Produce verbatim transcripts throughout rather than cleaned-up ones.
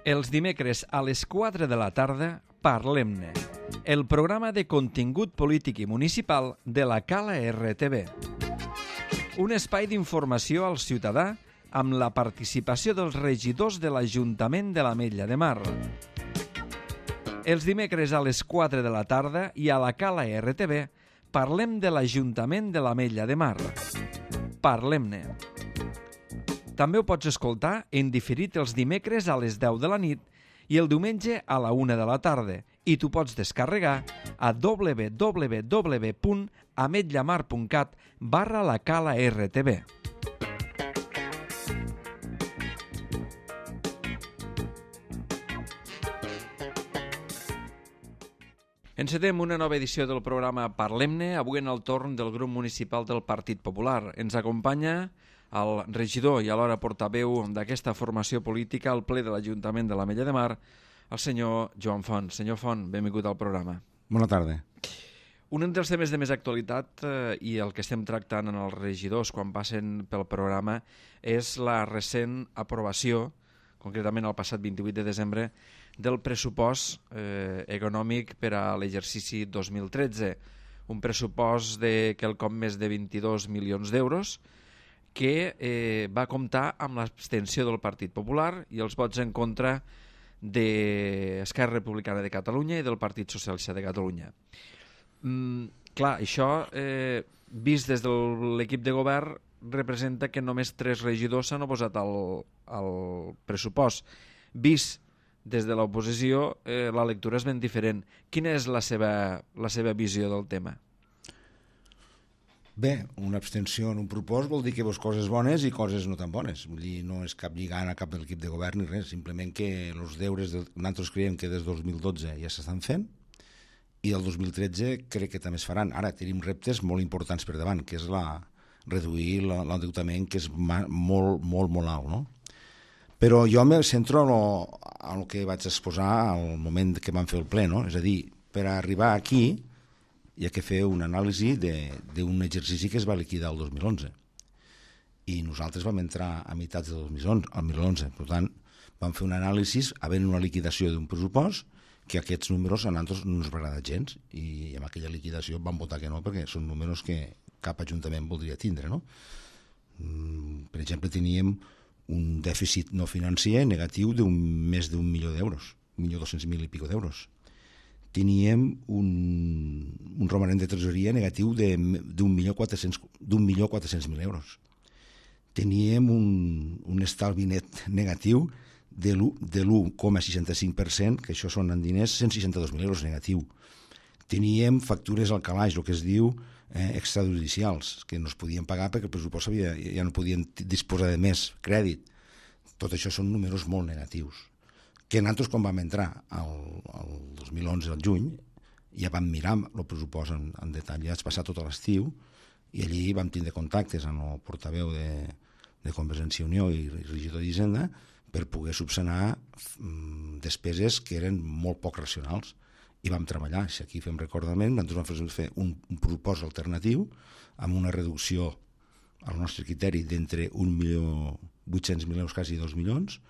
Els dimecres a les quatre de la tarda, Parlem-ne, el programa de contingut polític i municipal de la Cala R T V. Un espai d'informació al ciutadà amb la participació dels regidors de l'Ajuntament de l'Ametlla de Mar. Els dimecres a les quatre de la tarda i a la Cala R T V parlem de l'Ajuntament de l'Ametlla de Mar. Parlem-ne. També ho pots escoltar en diferit els dimecres a les deu de la nit i el diumenge a la una de la tarda, i t'ho pots descarregar a w w w punt ametllamar punt cat barra la Cala R T V. Encetem una nova edició del programa Parlem-ne, avui en el torn del grup municipal del Partit Popular. Ens acompanya el regidor i alhora portaveu d'aquesta formació política al ple de l'Ajuntament de l'Ametlla de Mar, el senyor Joan Font. Senyor Font, benvingut al programa. Bona tarda. Un dels temes de més actualitat eh, i el que estem tractant en els regidors quan passen pel programa és la recent aprovació, concretament el passat vint-i-vuit de desembre, del pressupost eh, econòmic per a l'exercici dos mil tretze. Un pressupost de quelcom més de vint-i-dos milions d'euros que eh, va comptar amb l'abstenció del Partit Popular i els vots en contra d'Esquerra Republicana de Catalunya i del Partit Socialista de Catalunya. Mm, clar, això, eh, vist des de l'equip de govern, representa que només tres regidors s'han oposat al, al pressupost. Vist des de l'oposició, eh, la lectura és ben diferent. Quina és la seva, la seva visió del tema? Bé, una abstenció en un propòsit vol dir que veus coses bones i coses no tan bones. Vull dir, no és cap lligant a cap de l'equip de govern ni res, simplement que els deures, de, nosaltres creiem que des del dos mil dotze ja s'estan fent i del dos mil tretze crec que també es faran. Ara tenim reptes molt importants per davant, que és la, reduir l'endeutament, que és ma, molt, molt, molt alt, no? Però jo me centro en el que vaig exposar al moment que vam fer el ple, no? És a dir, per arribar aquí hi ha que fer una anàlisi d'un exercici que es va liquidar el dos mil onze. I nosaltres vam entrar a meitats del dos mil onze. Per tant, vam fer una anàlisi havent una liquidació d'un pressupost que aquests números a nosaltres no ens va agradar gens i amb aquella liquidació vam votar que no perquè són números que cap ajuntament voldria tindre, no? Per exemple, teníem un dèficit no financer negatiu d'un més d'un milió d'euros, un milió dos-cents mil i pico d'euros. Teníem un, un romanent de tresoreria negatiu d'un milió quatre-cents mil euros. Teníem un, un estalvi net negatiu de l'u coma seixanta-cinc per cent, que això són en diners, cent seixanta-dos mil euros negatiu. Teníem factures al calaix, el que es diu eh, extrajudicials, que no es podien pagar perquè el pressupost havia, ja no podien disposar de més crèdit. Tot això són números molt negatius. Que nosaltres, quan vam entrar el, el dos mil onze, al juny, ja vam mirar el pressupost en, en detall, ja vaig passar tot l'estiu i allí vam tindre contactes amb el portaveu de, de Convergència i Unió i regidor d'Hisenda per poder subsanar mm, despeses que eren molt poc racionals i vam treballar. Si aquí fem recordament, nosaltres vam fer un, un pressupost alternatiu amb una reducció al nostre criteri d'entre un milió vuit-cents mil euros, quasi dos milions,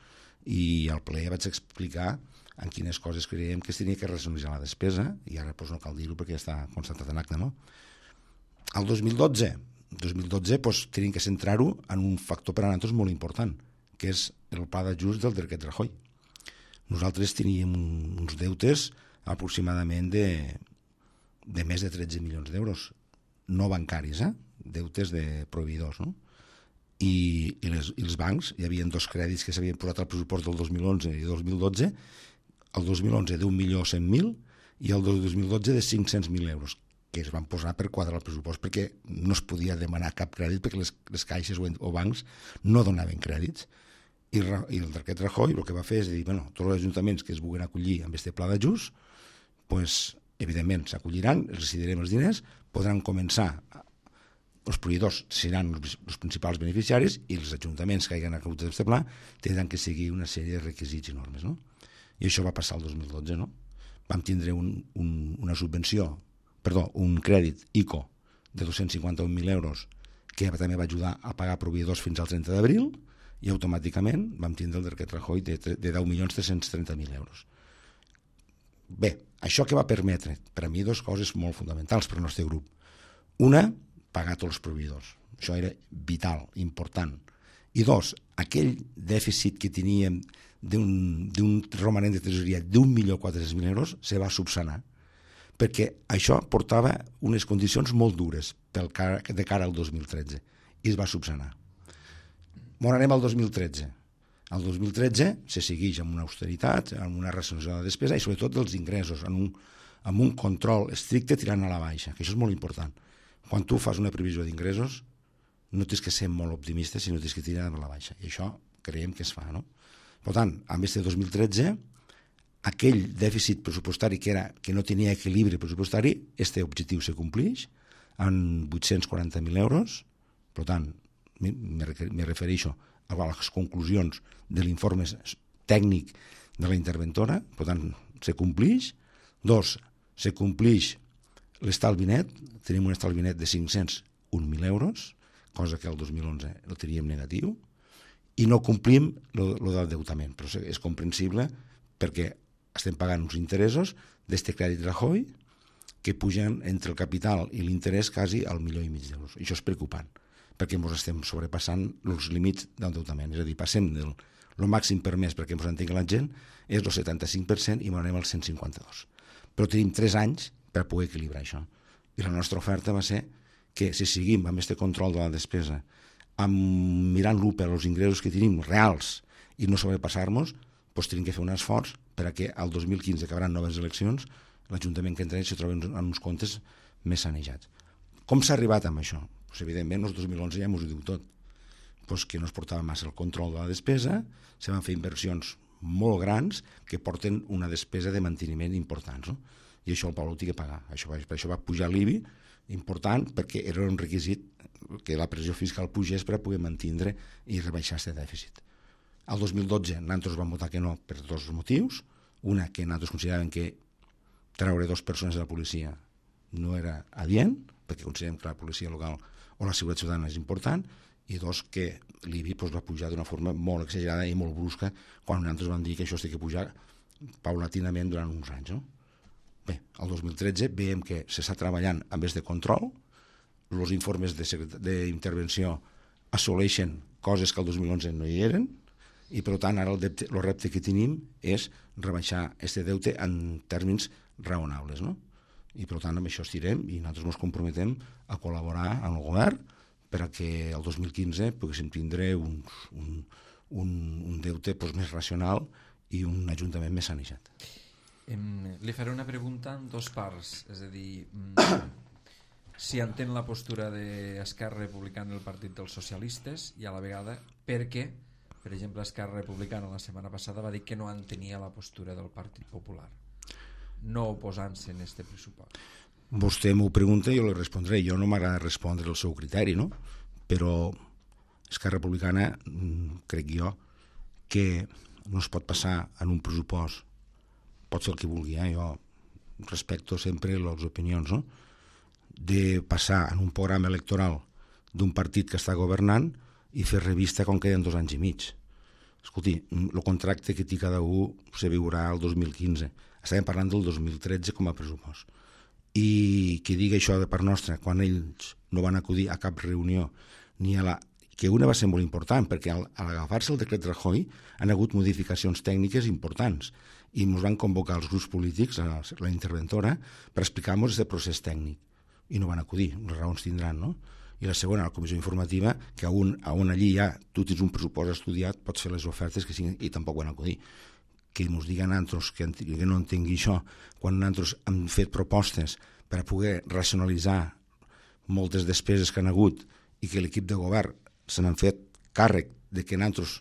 i al ple vaig explicar en quines coses creiem que es tenia que racionalitzar la despesa, i ara doncs, no cal dir-ho perquè ja està constatat en acte, no? El dos mil dotze, dos mil dotze doncs, tenim que centrar-ho en un factor per a nosaltres molt important, que és el pla d'ajust del decret Rajoy. Nosaltres teníem uns deutes aproximadament de, de més de tretze milions d'euros, no bancaris, eh? Deutes de proveïdors, no? I, i, les, i els bancs, hi havia dos crèdits que s'havien posat al pressupost del dos mil onze i dos mil dotze, el dos mil onze d'un milió cent mil i el dos mil dotze de cinc-cents mil euros, que es van posar per quadrar el pressupost perquè no es podia demanar cap crèdit perquè les, les caixes o, o bancs no donaven crèdits. I, i el decret Rajoy el que va fer és dir, bueno, tots els ajuntaments que es vulguin acollir amb aquest pla d'ajust, pues, evidentment s'acolliran, els decidirem els diners, podran començar a els proveïdors seran els principals beneficiaris i els ajuntaments que hagin acollit aquest pla tindran que seguir una sèrie de requisits i normes, no? I això va passar el dos mil dotze, no? Vam tindre un, un, una subvenció, perdó, un crèdit I C O de dos-cents cinquanta-un mil euros que també va ajudar a pagar proveïdors fins al trenta d'abril i automàticament vam tindre el decret Rajoy de, de deu milions tres-cents trenta mil euros. Bé, això que va permetre, per a mi, dues coses molt fonamentals per al nostre grup. Una, pagar tots els proveïdors. Això era vital, important. I dos, aquell dèficit que teníem d'un romanent de tresoreria d'un milió quatre-cents mil euros se va subsanar, perquè això portava unes condicions molt dures pel cara, de cara al dos mil tretze, i es va subsanar. On anem al dos mil tretze? Al dos mil tretze se segueix amb una austeritat, amb una racionalització de la despesa i sobretot dels ingressos, amb un, amb un control estricte tirant a la baixa, que això és molt important. Quan tu fas una previsió d'ingressos, no tens que ser molt optimista, sinó tens que tirar a la baixa. I això creiem que es fa, no? Per tant, amb este dos mil tretze, aquell dèficit pressupostari que, era, que no tenia equilibri pressupostari, este objectiu se compleix en vuit-cents quaranta mil euros. Per tant, me refereixo a les conclusions de l'informe tècnic de la interventora, per tant, se compleix. Dos, se compleix l'estalvi net, tenim un estalvi net de cinc-cents un mil euros, cosa que el dos mil onze el teníem negatiu, i no complim lo, lo del deutament, però és comprensible perquè estem pagant uns interessos d'este crèdit Rajoy que pugen entre el capital i l'interès quasi al milió i mig d'euros. Això és preocupant, perquè ens estem sobrepassant els límits d'endeutament, és a dir, passem del el màxim permès perquè ens entengui la gent és el setanta-cinc per cent i anem al cent cinquanta-dos. Però tenim tres anys per poder equilibrar això. I la nostra oferta va ser que si seguim amb aquest control de la despesa, amb mirant-lo per als ingressos que tenim reals i no sobrepassar-nos, doncs tenim que fer un esforç per a que al dos mil quinze, que hi haurà noves eleccions, l'Ajuntament que entra se trobi en uns comptes més sanejats. Com s'ha arribat amb això? Pues, evidentment, el dos mil onze ja ens ho diu tot. Pues que no es portava massa el control de la despesa, se van fer inversions molt grans que porten una despesa de manteniment importants, no? I això el poble ho té que pagar. Això, per això va pujar l'I B I, important, perquè era un requisit que la pressió fiscal pugés per a poder mantindre i rebaixar aquest dèficit. Al dos mil dotze nosaltres vam votar que no per dos motius. Una, que nosaltres consideràvem que treure dues persones de la policia no era adient, perquè considerem que la policia local o la seguretat ciutadana és important, i dos, que l'I B I doncs, va pujar d'una forma molt exagerada i molt brusca quan nosaltres vam dir que això s'ha de pujar paulatinament durant uns anys, no? Bé, el dos mil tretze veiem que s'està treballant amb aquest control, els informes d'intervenció assoleixen coses que el dos mil onze no hi eren, i per tant ara el, depte, el repte que tenim és rebaixar aquest deute en termes raonables, no? I per tant amb això estirem i nosaltres ens comprometem a col·laborar amb el govern per a que el dos mil quinze poguéssim tindre un, un, un, un deute doncs, més racional i un ajuntament més sanejat. Em, li faré una pregunta en dos parts, és a dir, si entén la postura d'Esquerra Republicana i el Partit dels Socialistes i a la vegada perquè, per exemple, Esquerra Republicana la setmana passada va dir que no entenia la postura del Partit Popular, no oposant-se en este pressupost. Vostè m'ho pregunta i jo li respondré. Jo no m'agrada respondre el seu criteri, no? Però Esquerra Republicana, crec jo, que no es pot passar en un pressupost, pot ser el que vulgui, eh? Jo respecto sempre les opinions, no? De passar en un programa electoral d'un partit que està governant i fer revista quan queden dos anys i mig. Escolti, el contracte que té cada un se viurà el dos mil quinze. Estàvem parlant del dos mil tretze com a pressupost. I que digui això de part nostra quan ells no van acudir a cap reunió ni a la... que una va ser molt important perquè al, al agafar-se el decret Rajoy han hagut modificacions tècniques importants i ens van convocar els grups polítics, la, la interventora, per explicar-nos aquest procés tècnic i no van acudir, les raons tindran, no? I la segona, la comissió informativa, que on, on allí ja tu tens un pressupost estudiat, pots fer les ofertes que siguin, i tampoc van acudir. Que ens diguen nosaltres que, que no entengui això, quan nosaltres hem fet propostes per a poder racionalitzar moltes despeses que han hagut i que l'equip de govern se n'han fet càrrec de que nosaltres,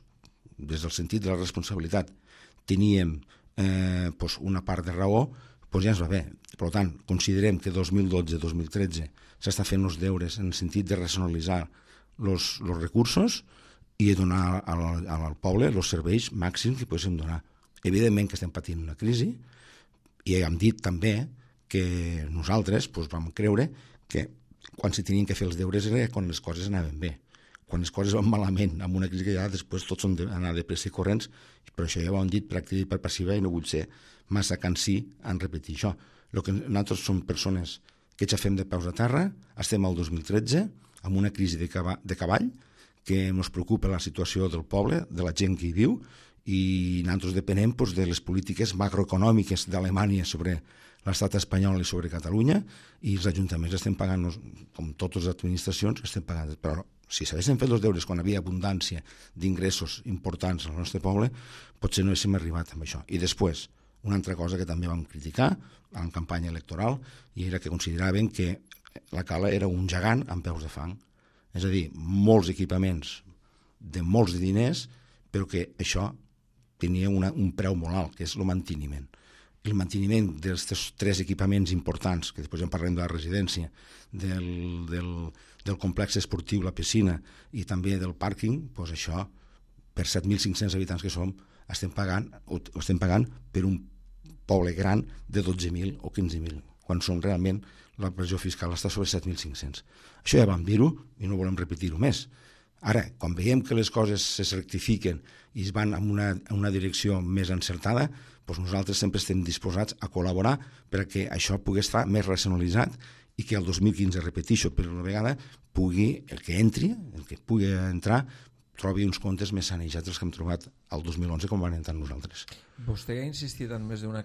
des del sentit de la responsabilitat, teníem eh, pues una part de raó, pues ja ens va bé. Per tant, considerem que dos mil dotze dos mil tretze s'està fent els deures en el sentit de racionalitzar els recursos i donar al, al poble els serveis màxims que poguéssim donar. Evidentment que estem patint una crisi i hem dit també que nosaltres pues, vam creure que quan se tenien que fer els deures era quan les coses anaven bé. quan les coses van malament, amb una crisi que ja després tots són d'anar de pressa i corrents, però això ja ho han dit per activa i per passiva i no vull ser massa cansí en repetir això. El que nosaltres som persones que ja fem de peus a terra, estem al dos mil tretze, amb una crisi de, cava, de cavall, que ens preocupa la situació del poble, de la gent que hi viu, i nosaltres depenem doncs, de les polítiques macroeconòmiques d'Alemanya sobre l'estat espanyol i sobre Catalunya, i els ajuntaments estem pagant, com totes les administracions, estem pagant, però si s'haguessin fet els deures quan havia abundància d'ingressos importants al nostre poble, potser no haguéssim arribat amb això. I després, una altra cosa que també vam criticar en campanya electoral, i era que consideraven que la Cala era un gegant amb peus de fang. És a dir, molts equipaments de molts diners, però que això tenia una, un preu molt alt, que és el manteniment. El manteniment dels tres equipaments importants, que després ja en parlem de la residència, del, del, del complex esportiu, la piscina, i també del pàrquing, doncs això, per set mil cinc-cents habitants que som, estem pagant, ho estem pagant per un poble gran de dotze mil o quinze mil, quan som realment la pressió fiscal està sobre set mil cinc-cents. Això ja vam dir-ho i no volem repetir-ho més. Ara, quan veiem que les coses es rectifiquen i es van en una, en una direcció més encertada, doncs nosaltres sempre estem disposats a col·laborar perquè això pugui estar més racionalitzat i que el dos mil quinze, repeteixo per una vegada, pugui, el que entri, el que pugui entrar, trobi uns comptes més sanejats dels que hem trobat el dos mil onze com van entrar nosaltres. Vostè ha insistit en més d'una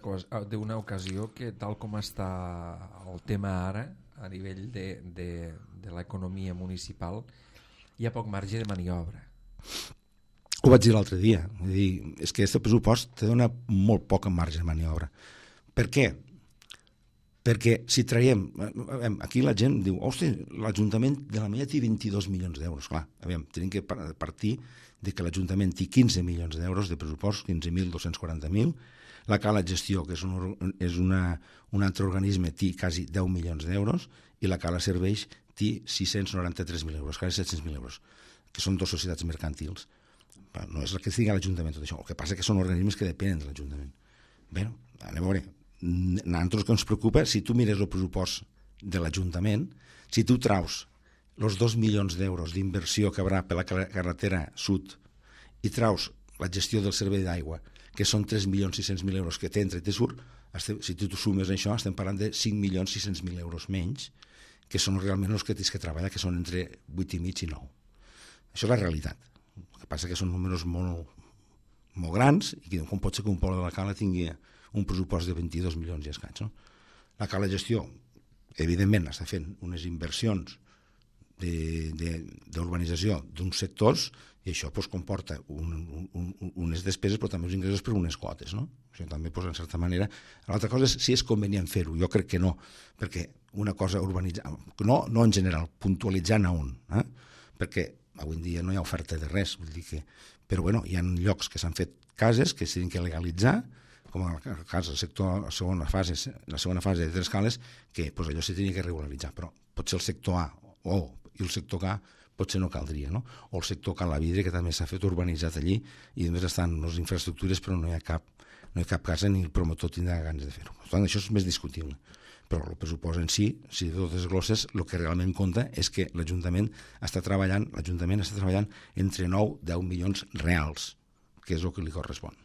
d'una ocasió que tal com està el tema ara, a nivell de, de, de l'economia municipal, hi ha poc marge de maniobra. Ho vaig dir l'altre dia. És dir, és que aquest pressupost te dona molt poc marge de maniobra. Per què? Perquè si traiem... Aquí la gent diu, hosti, l'Ajuntament de la Mella té vint-i-dos milions d'euros. Clar, aviam, tenim que partir de que l'Ajuntament té quinze milions d'euros de pressupost, quinze mil dos-cents quaranta mil. La Cala Gestió, que és, un, és una, un altre organisme, té quasi deu milions d'euros, i la Cala Serveis té sis-cents noranta-tres mil euros, quasi set-cents mil euros, que són dues societats mercantils. No és el que estigui a l'Ajuntament tot això, el que passa que són organismes que depenen de l'Ajuntament. Bé, anem a veure, a nosaltres que ens preocupa, si tu mires el pressupost de l'Ajuntament, si tu traus els dos milions d'euros d'inversió que haurà per la carretera sud i traus la gestió del servei d'aigua, que són tres milions sis-cents mil euros que t'entra i te surt, si tu sumes això, estem parlant de cinc milions sis-cents mil euros menys, que són realment els que tens que treballar, que són entre vuit i mig i nou. Això és la realitat. El que passa que són números molt, molt grans i que com pot ser que un poble de la Cala tingui un pressupost de vint-i-dos milions i escaig. No? La Cala Gestió, evidentment, està fent unes inversions d'urbanització d'uns sectors i això pues, comporta un, un, un, unes despeses però també uns ingressos per unes quotes. No? Això també, pues, en certa manera... L'altra cosa és si és convenient fer-ho. Jo crec que no, perquè una cosa urbanitzar... No, no en general, puntualitzant a un. Eh? Perquè avui en dia no hi ha oferta de res. Vull dir que... Però bueno, hi ha llocs que s'han fet cases que s'han de legalitzar, com en el cas del sector, la segona fase, la segona fase de Tres Cales, que pues, allò s'ha de regularitzar. Però potser el sector A o i el sector K potser no caldria, no? O el sector Cal la Vidre, que també s'ha fet urbanitzat allí, i només estan les infraestructures, però no hi ha cap, no hi ha cap casa ni el promotor tindrà ganes de fer-ho. Per tant, això és més discutible. Però el pressupost en si, si de totes glosses, el que realment compta és que l'Ajuntament està treballant, l'Ajuntament està treballant entre nou i deu milions reals, que és el que li correspon.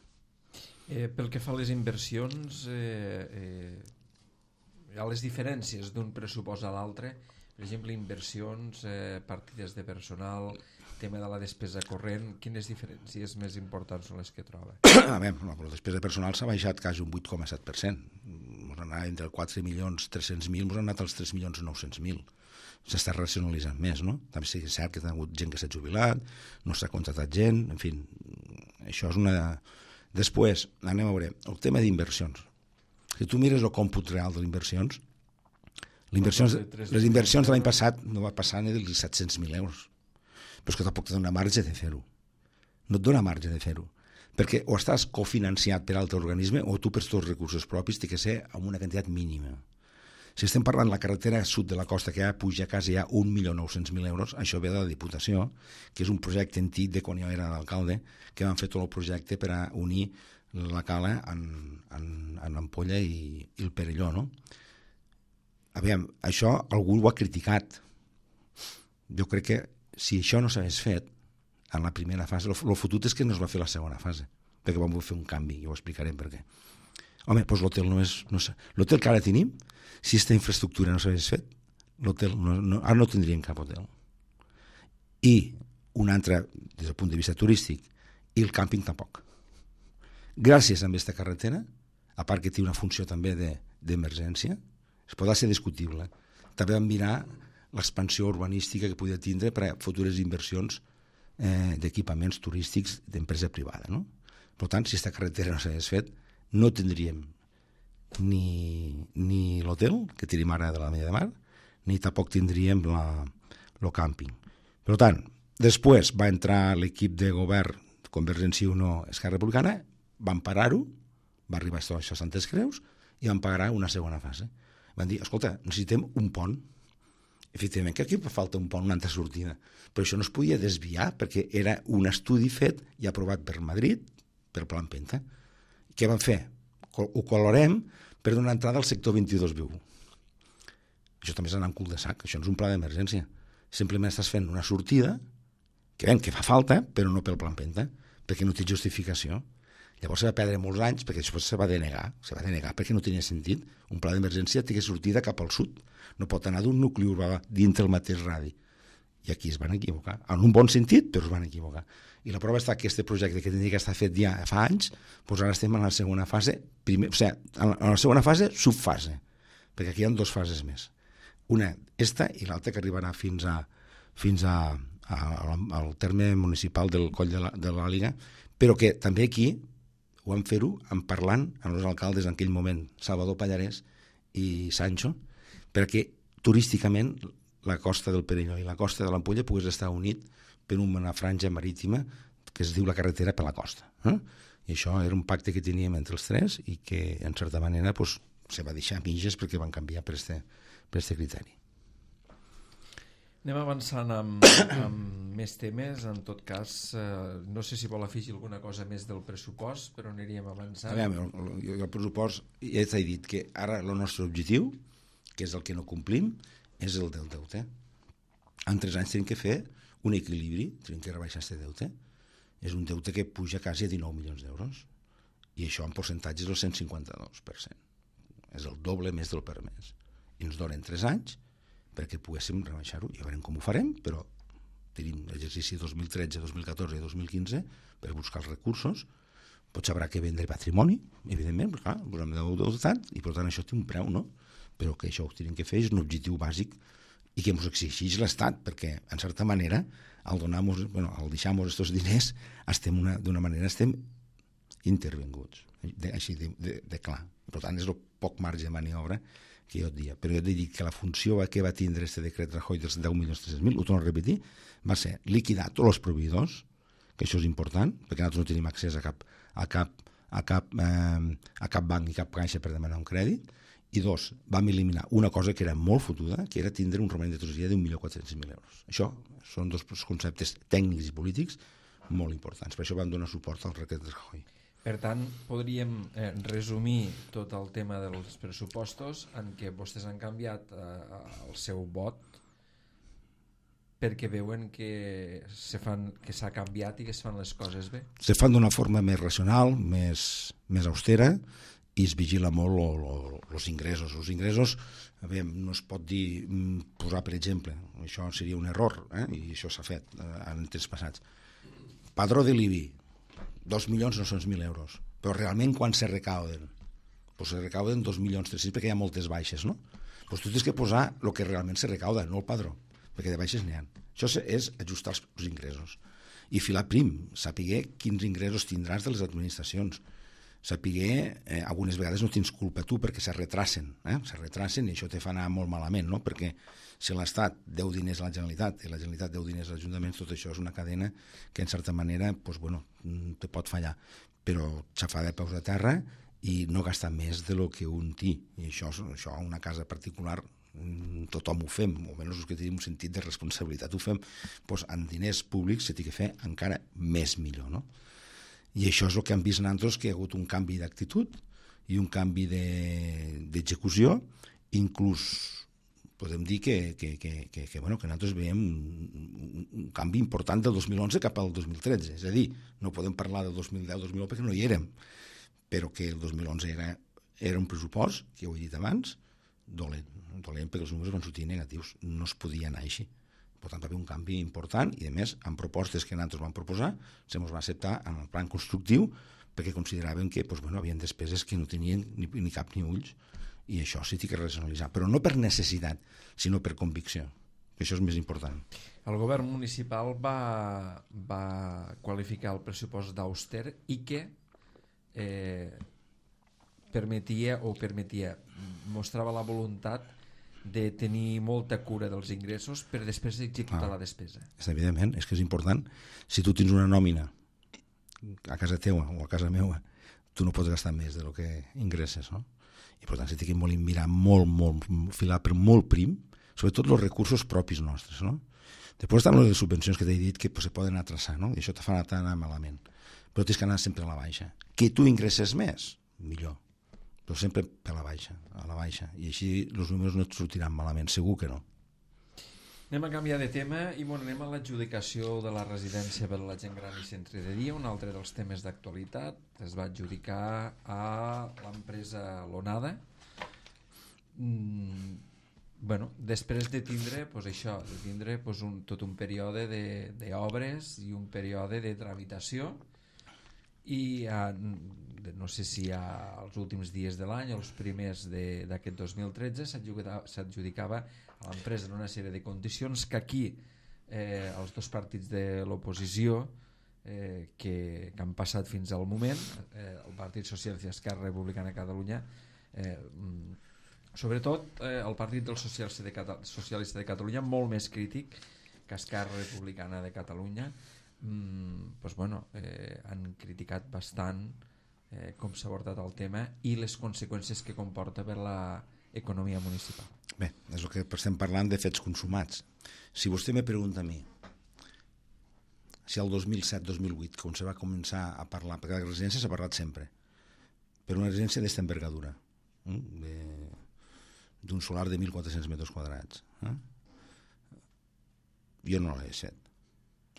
Eh, pel que fa a les inversions, eh, eh, hi ha les diferències d'un pressupost a l'altre. Per exemple, inversions, eh, partides de personal, tema de la despesa corrent, quines diferències més importants són les que troba? A veure, la despesa personal s'ha baixat quasi un vuit coma set per cent. Ens han anat entre quatre milions tres-cents mil, ens han anat als tres milions nou-cents mil. S'està racionalitzant més, no? També sí que és cert que hi ha hagut gent que s'ha jubilat, no s'ha contratat gent, en fi, això és una... Després, anem a veure, el tema d'inversions. Si tu mires el còmput real de les inversions, les inversions de l'any passat no va passar ni dels set-cents mil euros. Però és que tampoc te dona marge de fer-ho. No et dona marge de fer-ho. Perquè o estàs cofinanciat per altre organisme o tu per tots els recursos propis té que ser amb una quantitat mínima. Si estem parlant de la carretera sud de la costa que ja puja quasi ja un milió nou-cents mil euros, això ve de la Diputació, que és un projecte antic de quan jo era l'alcalde, que van fer tot el projecte per a unir la Cala en, en, en Ampolla i, i el Perelló, no? Aviam, això algú ho ha criticat. Jo crec que si això no s'hagués fet en la primera fase, el fotut és que no es va fer la segona fase, perquè vam fer un canvi, i ho explicarem per què. Home, doncs l'hotel no és... No sé, l'hotel que ara tenim, si aquesta infraestructura no s'hagués fet, l'hotel no, no, ara no tindríem cap hotel. I un altre, des del punt de vista turístic, i el càmping tampoc. Gràcies a aquesta carretera, a part que té una funció també d'emergència, es podrà ser discutible. També vam mirar l'expansió urbanística que podia tindre per a futures inversions eh, d'equipaments turístics d'empresa privada. No? Per tant, si aquesta carretera no s'hagués fet, no tindríem ni, ni l'hotel, que tenim ara de la Mella de Mar, ni tampoc tindríem el càmping. Per tant, després va entrar l'equip de govern Convergència i Unió Esquerra Republicana, van parar-ho, va arribar a seixanta Creus i van pagar una segona fase. Van dir, escolta, necessitem un pont. Efectivament, que aquí falta un pont, una altra sortida. Però això no es podia desviar perquè era un estudi fet i aprovat per Madrid, per Plan Penta. Què van fer? Ho colorem per donar entrada al sector vint-i-dos viu. Això també és anar en cul de sac, això no és un pla d'emergència. Simplement estàs fent una sortida, que ben, que fa falta, però no pel Plan Penta, perquè no té justificació. Llavors se va perdre molts anys perquè després se va denegar, se va denegar perquè no tenia sentit. Un pla d'emergència té sortida cap al sud, no pot anar d'un nucli urbà dintre el mateix radi. I aquí es van equivocar, en un bon sentit, però es van equivocar. I la prova està que aquest projecte que tenia que estar fet ja fa anys, doncs ara estem en la segona fase, primer, o sigui, en la segona fase, subfase, perquè aquí hi ha dues fases més. Una, esta, i l'altra que arribarà fins a fins a, a, al terme municipal del Coll de l'Àliga, però que també aquí ho vam fer-ho en parlant amb els alcaldes en aquell moment, Salvador Pallarès i Sancho, perquè turísticament la costa del Perelló i la costa de l'Ampolla pogués estar unit per una franja marítima que es diu la carretera per la costa. Eh? I això era un pacte que teníem entre els tres i que, en certa manera, pues, se va deixar mitges perquè van canviar per este, per este criteri. Anem avançant amb, amb més temes. En tot cas, eh, no sé si vol afegir alguna cosa més del pressupost, però aniríem avançant. A veure, el, el pressupost, ja t'he dit que ara el nostre objectiu, que és el que no complim, és el del deute. En tres anys tenim que fer un equilibri, tenim que rebaixar aquest deute. És un deute que puja quasi a dinou milions d'euros, i això en percentatge és el cent cinquanta-dos per cent. És el doble més del permès. I ens donen tres anys perquè poguéssim rebaixar-ho. Ja veurem com ho farem, però tenim l'exercici dos mil tretze, dos mil catorze i dos mil quinze per buscar els recursos. Potser haurà que vendre patrimoni, evidentment, perquè clar, ho hem d'autoritat, i per tant això té un preu, no? Però que això ho tenim que fer, és un objectiu bàsic i que ens exigeix l'Estat, perquè, en certa manera, al donar-nos, bueno, al deixar-nos aquests diners, estem una, d'una manera estem intervenguts, de, així de, de, de clar. Per tant, és el poc marge de maniobra que jo et dia. Però jo et dic que la funció que va tindre aquest decret Rajoy dels deu milions tres-cents mil, ho torno a repetir, va ser liquidar tots els proveïdors, que això és important, perquè nosaltres no tenim accés a cap, a cap, a cap, eh, a cap banc i cap caixa per demanar un crèdit, i dos, vam eliminar una cosa que era molt fotuda, que era tindre un romanent de tresoreria d'un milió quatre-cents mil euros. Això són dos conceptes tècnics i polítics molt importants. Per això vam donar suport al decret de Rajoy. Per tant, podríem eh, resumir tot el tema dels pressupostos en què vostès han canviat eh, el seu vot perquè veuen que se fan, que s'ha canviat i que es fan les coses bé. Se fan d'una forma més racional, més, més austera, i es vigila molt els ingressos. Els ingressos, a veure, no es pot dir, posar, per exemple, això seria un error, eh? I això s'ha fet eh, en temps passats. Padró de l'I B I, dos milions nou-cents mil euros, però realment quan se recauden? Pues se recauden dos milions tres-cents perquè hi ha moltes baixes, no? Pues tu tens que posar el que realment se recauda, no el padró, perquè de baixes n'hi ha. Això és ajustar els ingressos. I filar prim, saber quins ingressos tindràs de les administracions. Saber, eh, algunes vegades no tens culpa tu perquè se retracen, eh? se retracen i això te fa anar molt malament, no? Perquè si l'Estat deu diners a la Generalitat i la Generalitat deu diners als ajuntaments, tot això és una cadena que en certa manera pues, bueno, te pot fallar, però xafar de peus a terra i no gastar més de lo que un té, i això, això a una casa particular tothom ho fem, o almenys els que tenim un sentit de responsabilitat ho fem, pues, en diners públics se té que fer encara més millor, no? I això és el que hem vist nosaltres, que hi ha hagut un canvi d'actitud i un canvi d'execució, de, inclús podem dir que, que, que, que, que, bueno, que nosaltres veiem un, un, un canvi important del dos mil onze cap al dos mil tretze. És a dir, no podem parlar del dos mil deu dos mil nou perquè no hi érem, però que el dos mil onze era, era un pressupost, que ja ho he dit abans, dolent, dolent perquè els números van sortir negatius. No es podia anar així. Per tant, va haver un canvi important i, a més, amb propostes que nosaltres vam proposar, se ens va acceptar en el plan constructiu perquè consideraven que doncs, bueno, havien despeses que no tenien ni, ni cap ni ulls, i això sí que racionalitzar, però no per necessitat, sinó per convicció, que això és més important. El govern municipal va, va qualificar el pressupost d'auster i que eh, permetia o permetia, mostrava la voluntat de tenir molta cura dels ingressos per després executar ah, la despesa. És evidentment, és que és important. Si tu tens una nòmina a casa teua o a casa meua, tu no pots gastar més de lo que ingresses, no? I per tant, s'ha de mirar molt, molt, filar per molt prim, sobretot els recursos propis nostres, no? Després estan les subvencions que t'he dit que pues, se poden atrasar, no? I això te fa anar malament. Però tens que anar sempre a la baixa. Que tu ingresses més, millor. Però sempre per la baixa, a la baixa. I així els números no et sortiran malament, segur que no. Anem a canviar de tema i bueno, anem a l'adjudicació de la residència per a la gent gran i centre de dia, un altre dels temes d'actualitat. Es va adjudicar a l'empresa Lonada. Mm, bueno, després de tindre pues, això, de tindre pues, un, tot un període d'obres i un període de tramitació i a, no sé si als últims dies de l'any o els primers d'aquest dos mil tretze s'adjudicava a l'empresa en una sèrie de condicions que aquí eh, els dos partits de l'oposició eh, que, que han passat fins al moment, eh, el Partit Socialista i Esquerra Republicana de Catalunya, eh, sobretot eh, el Partit del Socialista de, Cata Socialista de Catalunya, molt més crític que Esquerra Republicana de Catalunya, mm, pues bueno, eh, han criticat bastant eh, com s'ha abordat el tema i les conseqüències que comporta per l'economia municipal. Bé, és el que estem parlant de fets consumats. Si vostè me pregunta a mi si el dos mil set dos mil vuit, quan se va començar a parlar, perquè la residència s'ha parlat sempre, per una residència d'esta envergadura, eh? d'un solar de mil quatre-cents metres quadrats. Eh? Jo no l'he fet.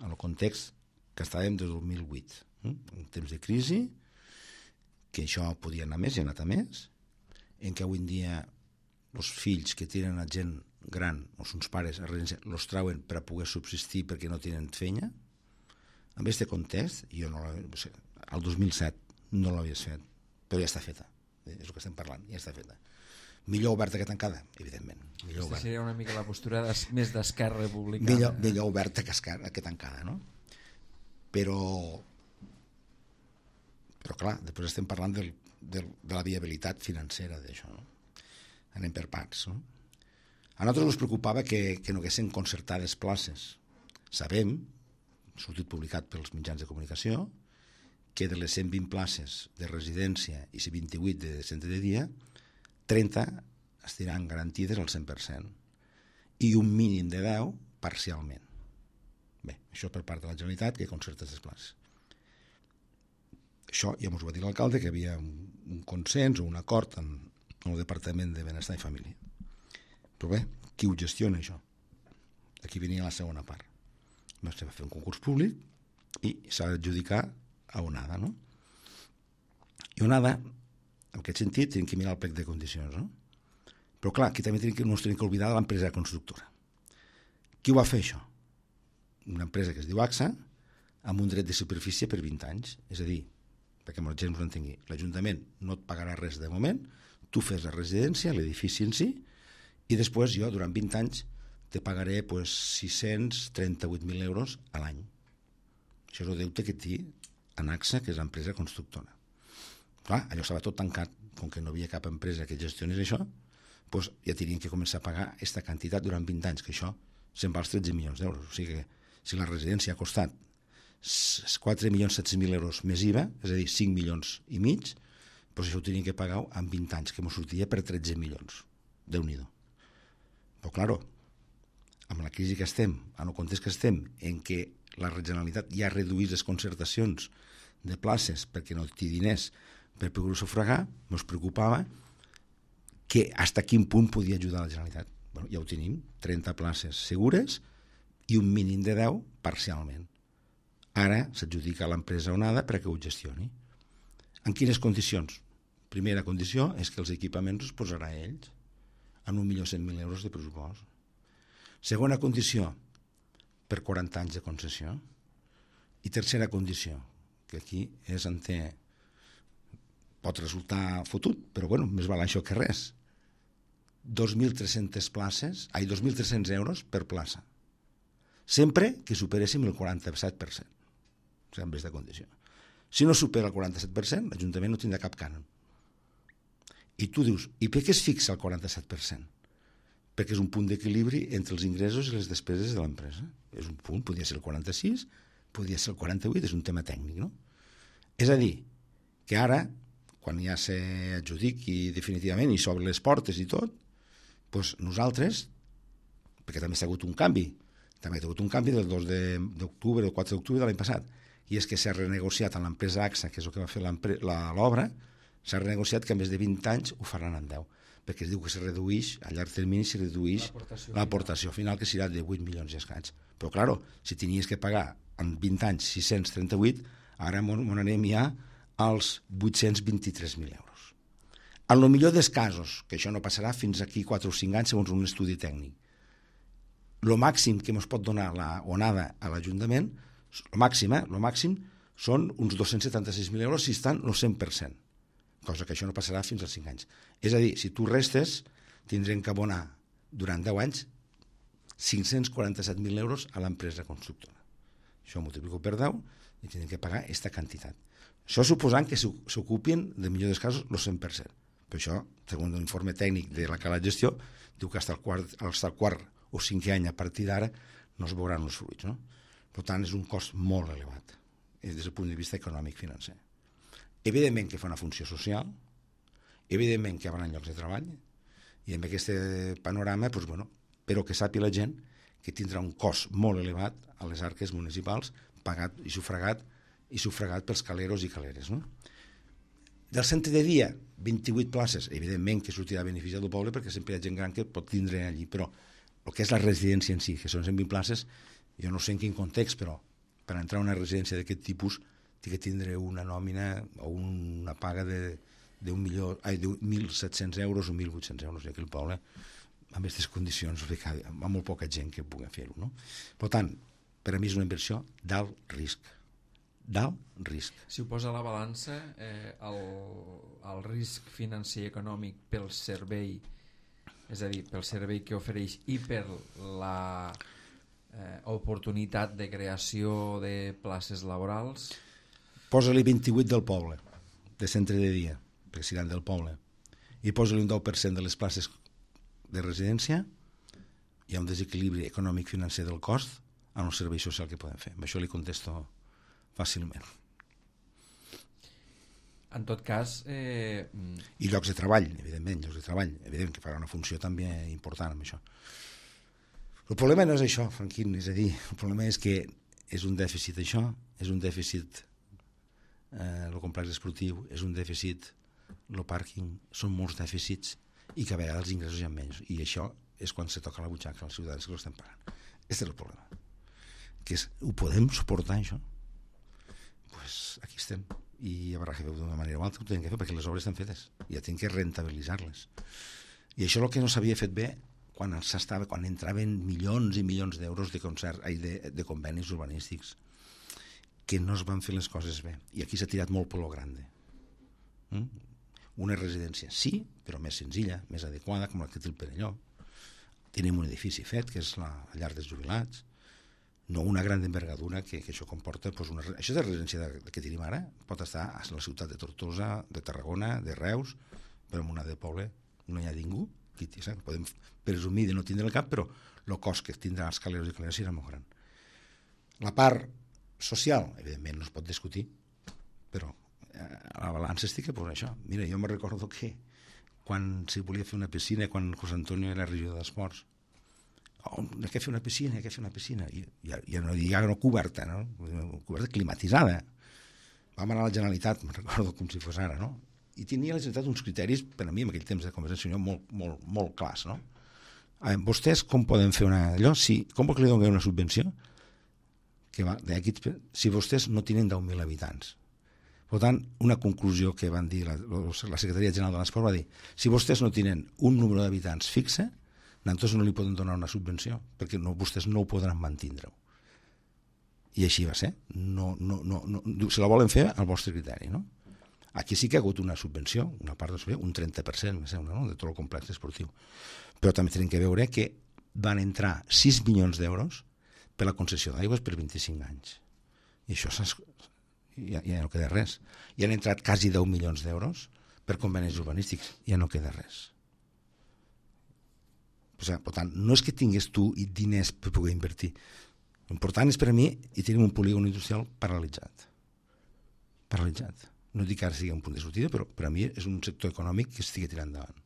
En el context que estàvem des del dos mil vuit, eh? en temps de crisi, que això podia anar més i ha anat a més, en què avui en dia els fills que tenen a gent gran, o els pares a residència, els trauen per a poder subsistir perquè no tenen feina. En aquest context, jo no el dos mil set no l'havies fet, però ja està feta. És el que estem parlant, ja està feta. Millor oberta que tancada, evidentment. Aquesta seria una mica la postura des, més d'Esquerra Republicana. Millor, millor oberta que, esquerra, que tancada, no? Però, però clar, després estem parlant del, del, de la viabilitat financera d'això, no? Anem per parts, no? A nosaltres ens preocupava que, que no haguessin concertades places. Sabem, ha sortit publicat pels mitjans de comunicació, que de les cent vint places de residència i vint-i-vuit de centre de dia, trenta estaran garantides al cent per cent i un mínim de deu parcialment. Bé, això per part de la Generalitat, que concerta aquestes places. Això ja ens ho va dir l'alcalde, que hi havia un, un consens o un acord en, en el Departament de Benestar i Família. Però bé, qui ho gestiona això? Aquí venia la segona part. Va fer un concurs públic i s'ha d'adjudicar a Onada, no? I Onada, en aquest sentit, tenim que mirar el plec de condicions, no? Però clar, aquí també tenim que, no ens tenim que oblidar de l'empresa constructora. Qui ho va fer, això? Una empresa que es diu A X A, amb un dret de superfície per vint anys. És a dir, perquè la gent us entengui, l'Ajuntament no et pagarà res de moment, tu fes la residència, l'edifici en si, i després jo, durant vint anys, te pagaré pues, sis-cents trenta-vuit mil euros a l'any. Això és el deute que té en A X A, que és l'empresa constructora. Clar, allò estava tot tancat, com que no havia cap empresa que gestionés això, doncs ja tenien que començar a pagar aquesta quantitat durant vint anys, que això se'n va als tretze milions d'euros. O sigui que si la residència ha costat quatre milions set-cents mil euros més I V A, és a dir, cinc milions i mig, doncs això ho tenien que pagar en vint anys, que ens sortia per tretze milions. Déu-n'hi-do. Però, clar, amb la crisi que estem, en el context que estem, en què la Generalitat ja ha reduït les concertacions de places perquè no té diners per poder-ho sufragar, ens preocupava que fins a quin punt podia ajudar la Generalitat. Bueno, ja ho tenim, trenta places segures i un mínim de deu parcialment. Ara s'adjudica a l'empresa Onada perquè ho gestioni. En quines condicions? Primera condició és que els equipaments els posarà ells en un milió cent mil euros de pressupost. Segona condició, per quaranta anys de concessió. I tercera condició, que aquí és en té, pot resultar fotut, però bueno, més val això que res. dos mil tres-centes places, ai, dos mil tres-cents euros per plaça. Sempre que superéssim el quaranta-set per cent. O sigui, en aquesta condició. Si no supera el quaranta-set per cent, l'Ajuntament no tindrà cap cànon. I tu dius, i per què es fixa el quaranta-set per cent? Perquè és un punt d'equilibri entre els ingressos i les despeses de l'empresa. És un punt, podria ser el quaranta-sis, podria ser el quaranta-vuit, és un tema tècnic, no? És a dir, que ara, quan ja s'adjudiqui definitivament i s'obren les portes i tot, doncs nosaltres, perquè també s'ha hagut un canvi, també ha hagut un canvi del dos d'octubre, del quatre d'octubre de l'any passat, i és que s'ha renegociat amb l'empresa A X A, que és el que va fer l'obra, s'ha renegociat que a més de vint anys ho faran en deu, perquè es diu que se redueix, a llarg termini se redueix l'aportació final, que serà de vuit milions i escaig. Però, clar, si tenies que pagar en vint anys sis-cents trenta-vuit, ara m'on anem ja als vuit-cents vint-i-tres mil euros. En el millor dels casos, que això no passarà fins aquí quatre o cinc anys segons un estudi tècnic, el màxim que ens pot donar la Onada a l'Ajuntament, el màxim, eh, el màxim són uns dos-cents setanta-sis mil euros si estan el cent per cent, cosa que això no passarà fins als cinc anys. És a dir, si tu restes, tindrem que abonar durant deu anys cinc-cents quaranta-set mil euros a l'empresa constructora. Això ho multiplico per deu i tindrem que pagar aquesta quantitat. Això suposant que s'ocupin, de millor dels casos, el cent per cent. Per això, segons l'informe tècnic de la Cala de Gestió, diu que fins al quart, al quart o cinquè any a partir d'ara no es veuran els fruits. No? Per tant, és un cost molt elevat des del punt de vista econòmic-financer. Evidentment que fa una funció social, evidentment que hi haurà llocs de treball, i amb aquest panorama, doncs, bueno, però que sàpiga la gent que tindrà un cost molt elevat a les arques municipals, pagat i sufragat, i sufragat pels caleros i caleres. No? Del centre de dia, vint-i-vuit places, evidentment que sortirà beneficiat del poble perquè sempre hi ha gent gran que pot tindre allí, però el que és la residència en si, que són cent vint places, jo no sé en quin context, però per entrar a una residència d'aquest tipus té que tindre una nòmina o una paga de, de, un milió, ai, de mil set-cents euros o mil vuit-cents euros, i aquí el poble, amb aquestes condicions, amb molt poca gent que pugui fer-ho. No? Per tant, per a mi és una inversió d'alt risc. D'alt risc. Si ho posa a la balança, eh, el, el risc financer i econòmic pel servei, és a dir, pel servei que ofereix i per la eh, oportunitat de creació de places laborals... Posa-li vint-i-vuit del poble, de centre de dia, perquè seran del poble, i posa-li un deu per cent de les places de residència, hi ha un desequilibri econòmic-financer del cost en el servei social que podem fer. Amb això li contesto fàcilment. En tot cas... Eh... I llocs de treball, evidentment, llocs de treball. Evident que farà una funció també important amb això. El problema no és això, Franquín, és a dir, el problema és que és un dèficit això, és un dèficit eh, el complex esportiu, és un dèficit el pàrquing, són molts dèficits i que a vegades els ingressos hi ha menys. I això és quan se toca la butxaca als ciutadans que l'estem pagant. Aquest és el problema. Que és, ho podem suportar, això? Pues aquí estem. I hi haurà que fer d'una manera o altra, ho tenen que fer perquè les obres estan fetes i ja tenen que rentabilitzar-les. I això és el que no s'havia fet bé quan s'estava, quan entraven milions i milions d'euros de concert, ai, de, de convenis urbanístics, que no es van fer les coses bé. I aquí s'ha tirat molt per lo grande. Mm? Una residència sí, però més senzilla, més adequada, com la que té el Perelló. Tenim un edifici fet, que és la, la llar dels jubilats, no una gran envergadura que, que això comporta doncs una, això és la residència de, de que tenim ara, pot estar a la ciutat de Tortosa, de Tarragona, de Reus, però en una de poble no hi ha ningú, qui, saps? Podem presumir de no tindre el cap, però el cost que tindrà els caleros i caleres serà molt gran. La part social, evidentment no es pot discutir, però a la balança estic que posa això. Mira, jo me recordo que quan se volia fer una piscina, quan José Antonio era regidor d'Esports, oh, hay que fer una piscina, hay que fer una piscina, i ja, ja no ja no coberta, no? Coberta climatitzada. Vam anar a la Generalitat, me'n recordo com si fos ara, no? I tenia la Generalitat uns criteris, per a mi, en aquell temps de Convergència i Unió, molt, molt, molt clars, no? A veure, vostès com poden fer una... allò? Si, com vol que li donin una subvenció? Que va, d'aquí, si vostès no tenen deu mil habitants. Per tant, una conclusió que van dir la, la Secretaria General de l'Esport va dir si vostès no tenen un número d'habitants fixe, nosaltres no li poden donar una subvenció, perquè no, vostès no ho podran mantindre. I així va ser. No, no, no, no, se la volen fer al vostre criteri, no? Aquí sí que ha hagut una subvenció, una part de subvenció, un trenta per cent, me sembla, no? De tot el complex esportiu. Però també tenim que veure que van entrar sis milions d'euros per la concessió d'aigües per vint-i-cinc anys. I això ja, ja no queda res. I han entrat quasi deu milions d'euros per convenis urbanístics. Ja no queda res. O sigui, per tant, no és que tingués tu diners per poder invertir. L'important és per a mi, i tenim un polígon industrial paralitzat. Paralitzat. No dic que ara sigui un punt de sortida, però per a mi és un sector econòmic que estigui tirant endavant.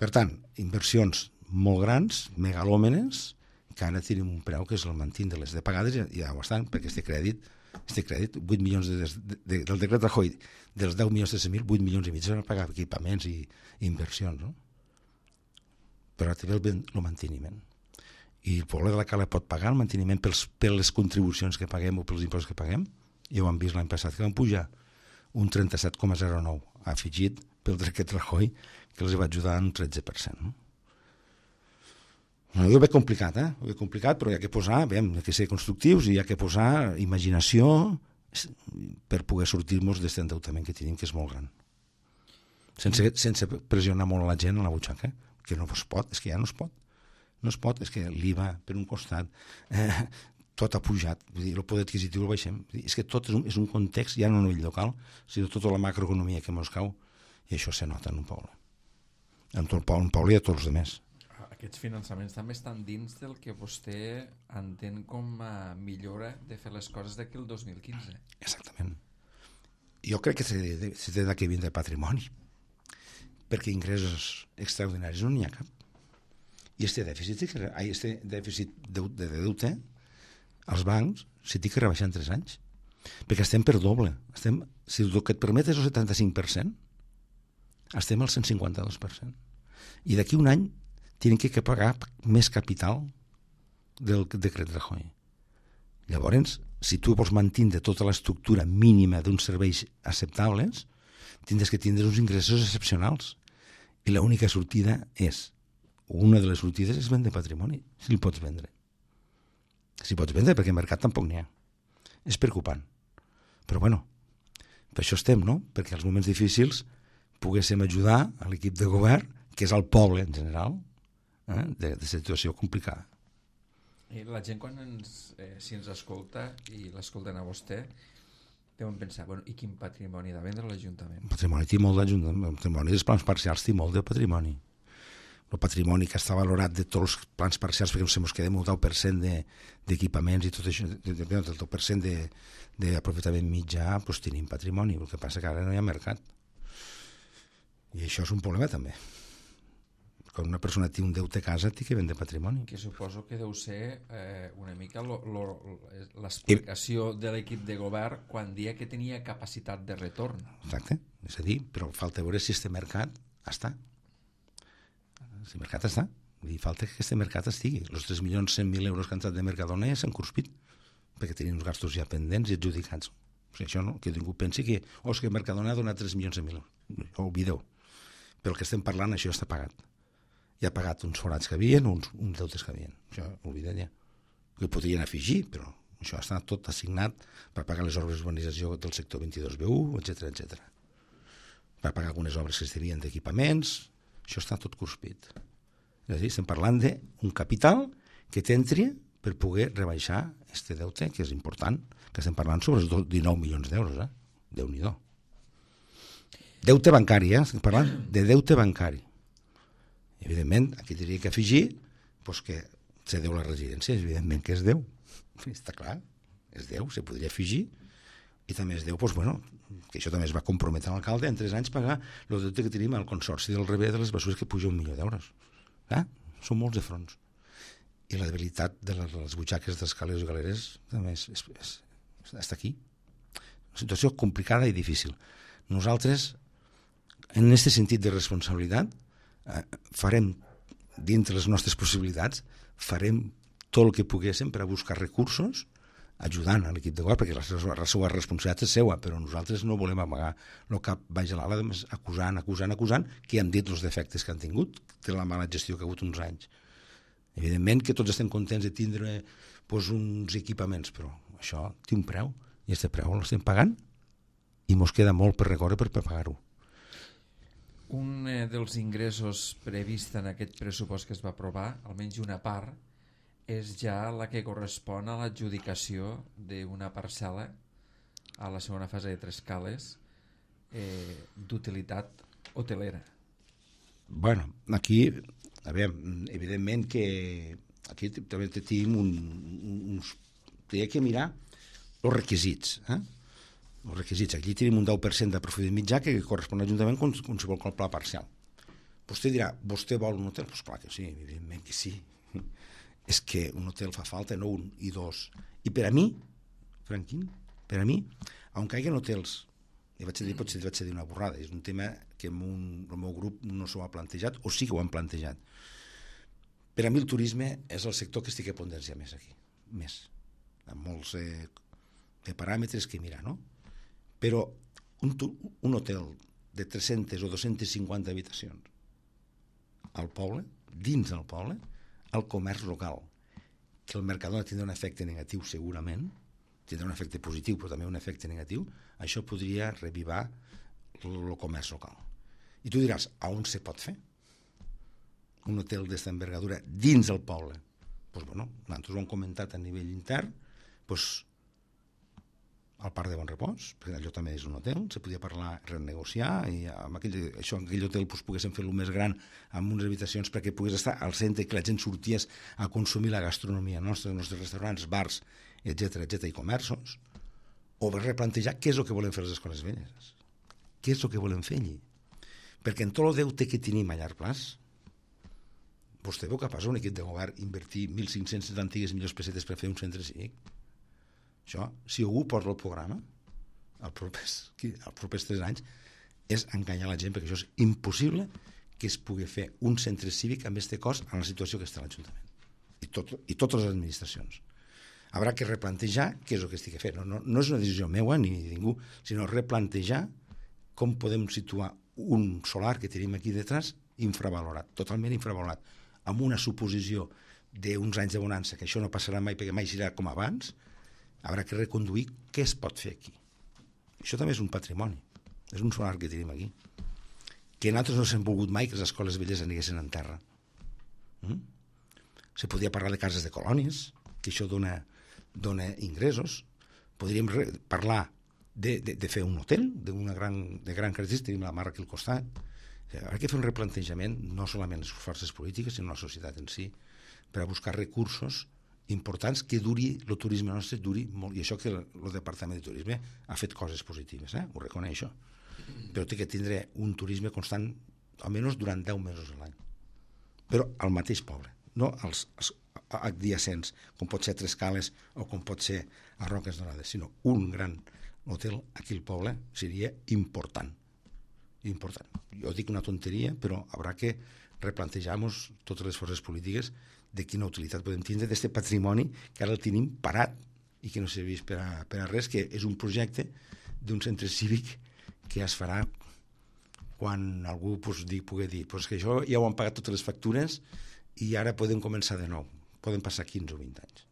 Per tant, inversions molt grans, megalòmenes, que ara tenim un preu que és el mantindre-les de pagades, i ja ho estan, perquè este crèdit, este crèdit, vuit milions de, de, de, del decret Rajoy, dels deu milions de cent mil, vuit milions i mig s'han pagat equipaments i, i inversions, no? Però també el, el manteniment. I el poble de la Cala pot pagar el manteniment pels, per les contribucions que paguem o pels impostos que paguem. Ja ho han vist l'any passat, que van pujar un trenta-set coma zero nou afegit pel decret Rajoy, que els va ajudar en un tretze per cent. No? No, jo ho veig complicat, eh? Ho veig complicat, però hi ha que posar, bé, hi ha que ser constructius i hi ha que posar imaginació per poder sortir-nos d'aquest endeutament que tenim, que és molt gran. Sense, sense pressionar molt a la gent a la butxaca, que no es pot, és que ja no es pot. No es pot, és que l'I V A per un costat, eh, tot ha pujat, vull dir, el poder adquisitiu el baixem. Vull dir, és que tot és un, és un context, ja no a nivell local, sinó tota la macroeconomia que ens cau, i això se nota en un poble. En tot el poble, un poble i a tots els altres. Aquests finançaments també estan dins del que vostè entén com a millora de fer les coses d'aquí el dos mil quinze. Exactament. Jo crec que se té de que vindre patrimoni, perquè ingressos extraordinaris no n'hi ha cap. I este dèficit, este dèficit de deute, els bancs s'hi té que rebaixar en tres anys, perquè estem per doble. Estem, si el que et permet és el setanta-cinc per cent, estem al cent cinquanta-dos per cent. I d'aquí un any tenen que pagar més capital del decret Rajoy. Llavors, si tu vols mantindre tota l'estructura mínima d'uns serveis acceptables, tindràs que tindre uns ingressos excepcionals. I l'única sortida és, una de les sortides és vendre patrimoni, si el pots vendre. Si pots vendre, perquè al mercat tampoc n'hi ha. És preocupant. Però bueno, per això estem, no? Perquè als moments difícils poguéssim ajudar a l'equip de govern, que és el poble en general, eh, de, de situació complicada. I la gent quan ens, eh, si ens escolta i l'escolten a vostè, deuen pensar, bueno, i quin patrimoni de vendre l'Ajuntament? Patrimoni té molt d'Ajuntament, patrimoni dels plans parcials té molt de patrimoni. El patrimoni que està valorat de tots els plans parcials, perquè se ens quedem un deu per cent d'equipaments i tot això, del deu per cent d'aprofitament mitjà, doncs tenim patrimoni, el que passa que ara no hi ha mercat. I això és un problema també. Quan una persona té un deute a casa, té que vendre patrimoni. Que suposo que deu ser eh, una mica l'explicació de l'equip de govern quan dia que tenia capacitat de retorn. Exacte, és a dir, però falta veure si este mercat està. Si el mercat està, vull dir, falta que aquest mercat estigui. Els tres milions cent mil euros que han entrat de Mercadona ja s'han cruspit, perquè tenien uns gastos ja pendents i adjudicats. O sigui, això no, que ningú pensi que, oh, és que Mercadona ha donat tres milions cent mil euros. No, oblideu. Pel que estem parlant, això està pagat. Ja ha pagat uns forats que havien, uns, uns deutes que havien. Això, oblideu ja. Que podrien afegir, però això està tot assignat per pagar les obres d'urbanització del sector vint-i-dos B u, etcètera, etcètera. Per pagar algunes obres que es devien d'equipaments. Això està tot cruspit. És a dir, estem parlant d'un capital que t'entri per poder rebaixar este deute, que és important, que estem parlant sobre els dinou milions d'euros, eh? Déu-n'hi-do. Deute bancari, eh? Estem parlant de deute bancari. Evidentment, aquí diria que afegir doncs que se deu la residència, evidentment que és deu. Està clar, és deu, se podria afegir. I també es deu, doncs, bueno, que això també es va comprometre l'alcalde en tres anys pagar el deute que tenim al consorci del Rebé de les Bessures, que puja un milió d'euros. Ah, són molts de fronts. I la debilitat de les, les butxaques dels calés i galeres també és, és, és, està aquí. Una situació complicada i difícil. Nosaltres, en aquest sentit de responsabilitat, eh, farem dintre les nostres possibilitats, farem tot el que poguéssim per a buscar recursos ajudant a l'equip de govern, perquè la seva, la seva responsabilitat és seva, però nosaltres no volem amagar el cap baix a l'ala, acusant, acusant, acusant, que han dit els defectes que han tingut, de la mala gestió que ha hagut uns anys. Evidentment que tots estem contents de tindre pues, uns equipaments, però això té un preu, i aquest preu l'estem pagant, i mos queda molt per recórrer per, per pagar-ho. Un eh, dels ingressos previst en aquest pressupost que es va aprovar, almenys una part, és ja la que correspon a l'adjudicació d'una parcel·la a la segona fase de Tres Cales eh, d'utilitat hotelera. Bueno, aquí, a veure, evidentment que aquí també tenim un, uns... Té que mirar els requisits, eh? Els requisits. Aquí tenim un deu per cent de profit mitjà que correspon a l'Ajuntament com, com si vol el pla parcial. Vostè dirà, vostè vol un hotel? Doncs pues clar que sí, evidentment que sí. És que un hotel fa falta, no un i dos. I per a mi, Franquín, per a mi, on caiguen hotels, i vaig dir, potser vaig dir una borrada, és un tema que en un, el meu grup no s'ho ha plantejat, o sí que ho han plantejat. Per a mi el turisme és el sector que estic a pondenciar més aquí, més, amb molts eh, de paràmetres que mirar, no? Però un, un hotel de tres-centes o dos-centes cinquanta habitacions al poble, dins del poble, el comerç local, que el Mercadona tindrà un efecte negatiu segurament, tindrà un efecte positiu però també un efecte negatiu, això podria revivar el comerç local. I tu diràs, a on se pot fer un hotel d'esta envergadura dins del poble? Doncs bueno, nosaltres ho hem comentat a nivell intern, doncs al Parc de Bon Repòs, perquè allò també és un hotel, se podia parlar, renegociar, i amb aquell, això, en aquell hotel doncs, poguéssim fer-lo més gran, amb unes habitacions perquè pogués estar al centre, que la gent sorties a consumir la gastronomia nostra, els nostres restaurants, bars, etcètera, etcètera, i comerços, o replantejar què és el que volem fer a les escoles velles, què és el que volem fer allí. Perquè en tot el deute que tenim a llarg plaç, vostè veu capaç un equip de govern invertir mil cinc-cents antigues milions pessetes per fer un centre cívic? Això, si algú posa el programa els propers, els propers tres anys, és enganyar la gent, perquè això és impossible que es pugui fer un centre cívic amb aquest cost en la situació que està l'Ajuntament i, tot, i totes les administracions. Haurà que replantejar què és el que estic fent. No, no, no és una decisió meua ni de ningú, sinó replantejar com podem situar un solar que tenim aquí detrás infravalorat, totalment infravalorat, amb una suposició d'uns anys de bonança, que això no passarà mai perquè mai serà com abans. Haurà que reconduir què es pot fer aquí. Això també és un patrimoni, és un solar que tenim aquí, que nosaltres no s'hem volgut mai que les escoles velles aniguessin en terra. Mm? Se podia parlar de cases de colònies, que això dona, dona ingressos. Podríem re- parlar de, de, de fer un hotel d'una gran, de gran característica, tenim la mar aquí al costat. Haurà que fer un replantejament, no solament les forces polítiques, sinó la societat en si, per a buscar recursos importants que duri, el turisme nostre duri molt, i això que el, el Departament de Turisme ha fet coses positives, eh? Ho reconeixo, però té que tindre un turisme constant almenys durant deu mesos a l'any, però al mateix poble, no als, als adjacents, com pot ser Tres Cales o com pot ser a Roques Dorades, sinó un gran hotel aquí al poble seria important, important. Jo dic una tonteria, però haurà que replantejar-nos totes les forces polítiques de quina utilitat podem tindre d'aquest patrimoni que ara el tenim parat i que no serveix per a, per a res, que és un projecte d'un centre cívic que es farà quan algú pues, di, pugui dir pues que això ja ho han pagat totes les factures i ara podem començar de nou. Poden passar quinze o vint anys.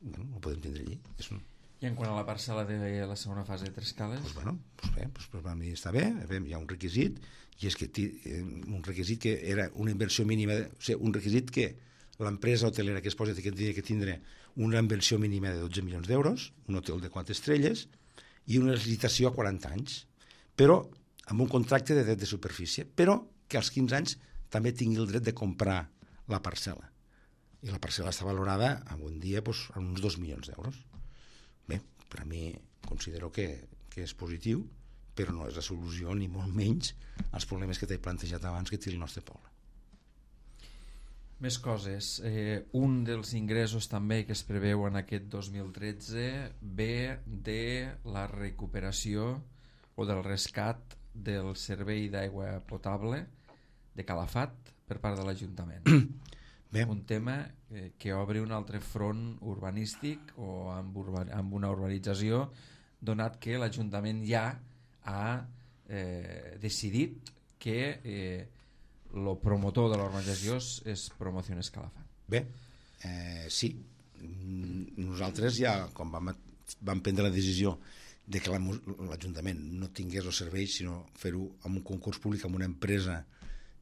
Bueno, ho podem tindre allí. És un... I en quant a la parcel·la de la segona fase de Tres Cales? Pues bueno, pues bé, pues, pues, a mi està bé, hi ha un requisit, i és que un requisit que era una inversió mínima, de, o sigui, un requisit que l'empresa hotelera que es posa que tindria que tindre una inversió mínima de dotze milions d'euros, un hotel de quatre estrelles i una licitació a quaranta anys, però amb un contracte de dret de superfície, però que als quinze anys també tingui el dret de comprar la parcel·la. I la parcel·la està valorada en un dia doncs, a uns dos milions d'euros. Bé, per a mi considero que, que és positiu, però no és la solució ni molt menys als problemes que t'he plantejat abans que té el nostre poble. Més coses. Eh, un dels ingressos també que es preveu en aquest dos mil tretze ve de la recuperació o del rescat del servei d'aigua potable de Calafat per part de l'Ajuntament. Bé. Un tema eh, que obre un altre front urbanístic o amb, urba, amb una urbanització, donat que l'Ajuntament ja ha eh, decidit que eh, el promotor de la urbanització és, és Promociones Calafat. Bé, eh, sí. Nosaltres ja, quan vam, vam prendre la decisió de que l'Ajuntament no tingués els serveis, sinó fer-ho amb un concurs públic, amb una empresa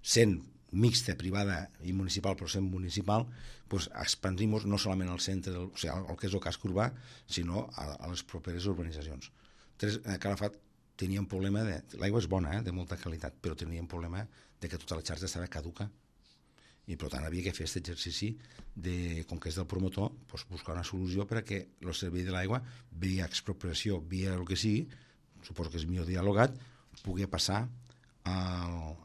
sent mixta, privada i municipal, però sent municipal, pues expandim-nos no solament al centre, del, o sigui, al que és el casc urbà, sinó a, a les properes urbanitzacions. Tres, a Calafat tenia un problema de... L'aigua és bona, eh, de molta qualitat, però tenia un problema de que tota la xarxa estava caduca. I per tant havia que fer aquest exercici de, com que és del promotor, pues, buscar una solució per a que el servei de l'aigua, via expropiació, via el que sigui, suposo que és millor dialogat, pugui passar al,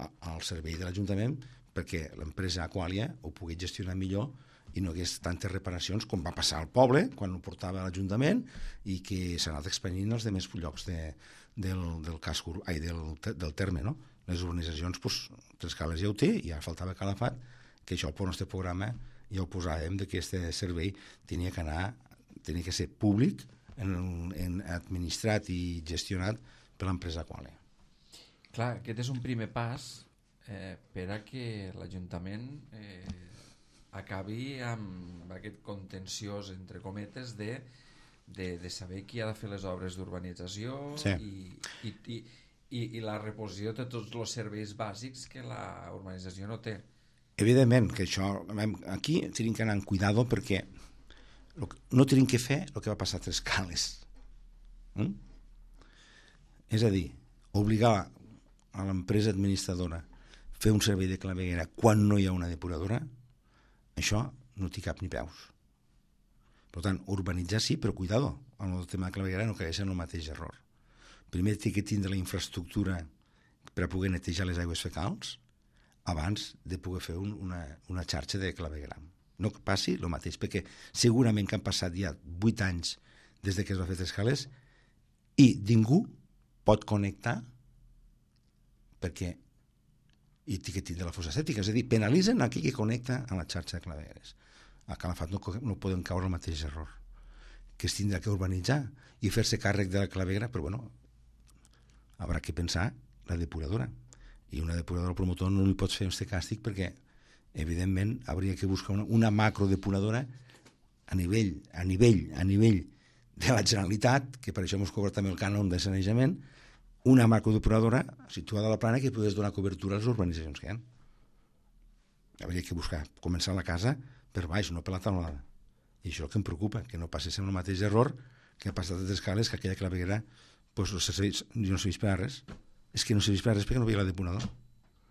al servei de l'Ajuntament perquè l'empresa Aqualia ho pugui gestionar millor i no hi hagués tantes reparacions com va passar al poble quan ho portava a l'Ajuntament i que s'ha anat expandint als demés llocs de, del, del, casc, ai, del, del terme, no? Les urbanitzacions, doncs, Trescales ja ho té i ja faltava Calafat, que això pel nostre programa ja ho posàvem de que aquest servei tenia que anar, tenia que ser públic, en, en administrat i gestionat per l'empresa Aqualia. Clar, aquest és un primer pas eh, per a que l'Ajuntament eh, acabi amb aquest contenciós, entre cometes, de, de, de saber qui ha de fer les obres d'urbanització sí. i, i, i, i, i la reposició de tots els serveis bàsics que la urbanització no té. Evidentment que això, aquí tenim que anar amb cuidado perquè no tenim que fer el que va passar a Trescales. Mm? És a dir, obligar a l'empresa administradora a fer un servei de claveguera quan no hi ha una depuradora, això no té cap ni peus. Per tant, urbanitzar sí, però cuidado, amb el tema de claveguera no caigués en el mateix error. Primer té que tindre la infraestructura per a poder netejar les aigües fecals abans de poder fer un, una, una xarxa de clavegueram. No que passi el mateix, perquè segurament que han passat ja vuit anys des de que es va fer Trescales i ningú pot connectar perquè i té que tindre la fossa sèptica, és a dir, penalitzen aquell que connecta a la xarxa de clavegueres. A Calafat no, no podem caure el mateix error, que es tindrà que urbanitzar i fer-se càrrec de la claveguera, però bueno, haurà que pensar la depuradora. I una depuradora al promotor no li pots fer aquest càstig perquè, evidentment, hauria que buscar una, una macrodepuradora a nivell, a nivell, a nivell de la Generalitat, que per això ens cobra també el cànon de sanejament, una macrodepuradora situada a la plana que pogués donar cobertura a les urbanitzacions que hi ha. Hauria que buscar, començar la casa per baix, no per la taulada. I això és el que em preocupa, que no passés el mateix error que ha passat a Trescales, que aquella claveguera pues, no serveix, no serveix per a res. És que no serveix per a res perquè no hi ha la depuradora.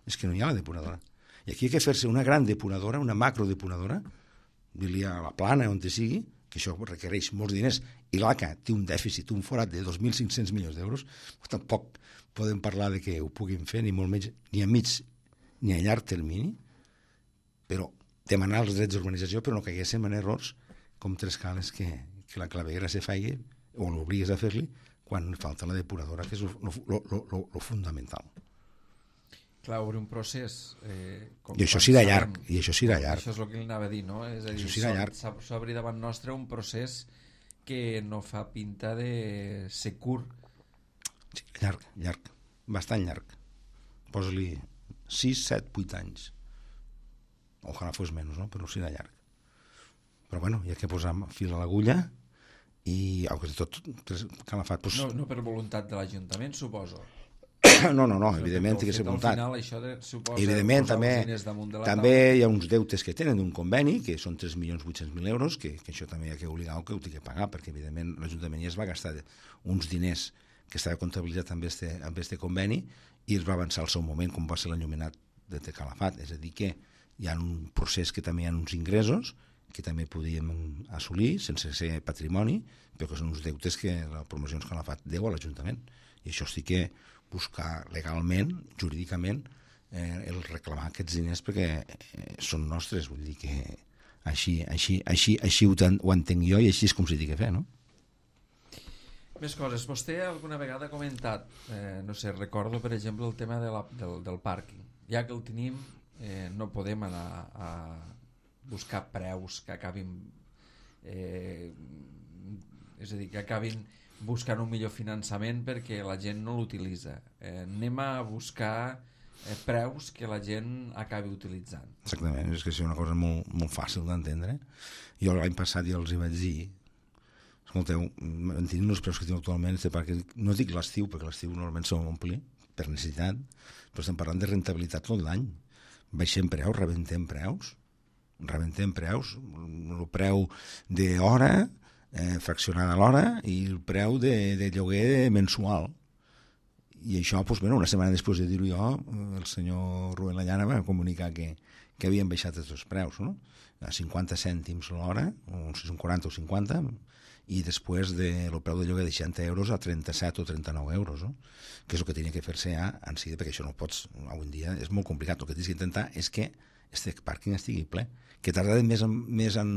És que no hi ha la depuradora. I aquí hi ha que fer-se una gran depuradora, una macrodepuradora, dir-li a la plana, on te sigui, que això requereix molts diners, i l'A C A té un dèficit, un forat de dos mil cinc-cents milions d'euros, tampoc podem parlar de que ho puguin fer, ni molt menys, ni a mig ni a llarg termini, però demanar els drets d'urbanització, però no caiguéssim en errors com Trescales, que, que la claveguera se faigui, o l'obligues a fer-li, quan falta la depuradora, que és el fundamental. Clar, obre un procés... Eh, com I això serà llarg, i això serà llarg. Això és el que li anava a dir, no? És a dir, això serà llarg. S'obri davant nostre un procés que no fa pinta de ser curt. Sí, llarg, llarg, bastant llarg. Posa-li sis, set, vuit anys. Ojalà fos menys, no? Però serà llarg. Però bueno, hi ha que posar fil a l'agulla i, au, que tot Calafat... Pues... No, no per voluntat de l'Ajuntament, suposo. No, no, no, evidentment té que ser voluntat. Al final això de, suposa, evidentment també, també taula. Hi ha uns deutes que tenen d'un conveni, que són tres milions vuit-cents mil euros, que, que això també hi ha que obligar que ho té que pagar, perquè evidentment l'Ajuntament ja es va gastar uns diners que estava comptabilitzat amb este, amb este conveni i es va avançar al seu moment com va ser l'enllumenat de Calafat, és a dir que hi ha un procés que també hi ha uns ingressos que també podíem assolir sense ser patrimoni, però que són uns deutes que la Promocions Calafat deu a l'Ajuntament, i això sí que buscar legalment, jurídicament, eh, el reclamar aquests diners perquè eh, són nostres, vull dir que així, així, així, així ho, ho entenc jo i així és com s'hi ha de fer, no? Més coses. Vostè alguna vegada ha comentat, eh, no sé, recordo per exemple el tema de la, del, del pàrquing. Ja que el tenim, eh, no podem anar a buscar preus que acabin eh, és a dir, que acabin buscant un millor finançament perquè la gent no l'utilitza. Eh, anem a buscar eh, preus que la gent acabi utilitzant. Exactament, és que és una cosa molt, molt fàcil d'entendre. Jo l'any passat ja els hi vaig dir, escolteu, mantenint els preus que tinc actualment, perquè no dic l'estiu, perquè l'estiu normalment s'ho ompli per necessitat, però estem parlant de rentabilitat tot l'any. Baixem preus, rebentem preus, rebentem preus, el preu d'hora, eh, fraccionada a l'hora, i el preu de, de lloguer mensual. I això, doncs, bueno, una setmana després de dir-ho jo, el senyor Rubén Lallana va comunicar que, que havien baixat els preus, no? A cinquanta cèntims l'hora, o si són quaranta o cinquanta, i després del de, preu de lloguer de seixanta euros a trenta-set o trenta-nou euros, no? Que és el que tenia que fer-se ja en si, perquè això no pots, avui en dia és molt complicat. El que tens que intentar és que este pàrquing estigui ple, que tarda més en, més en,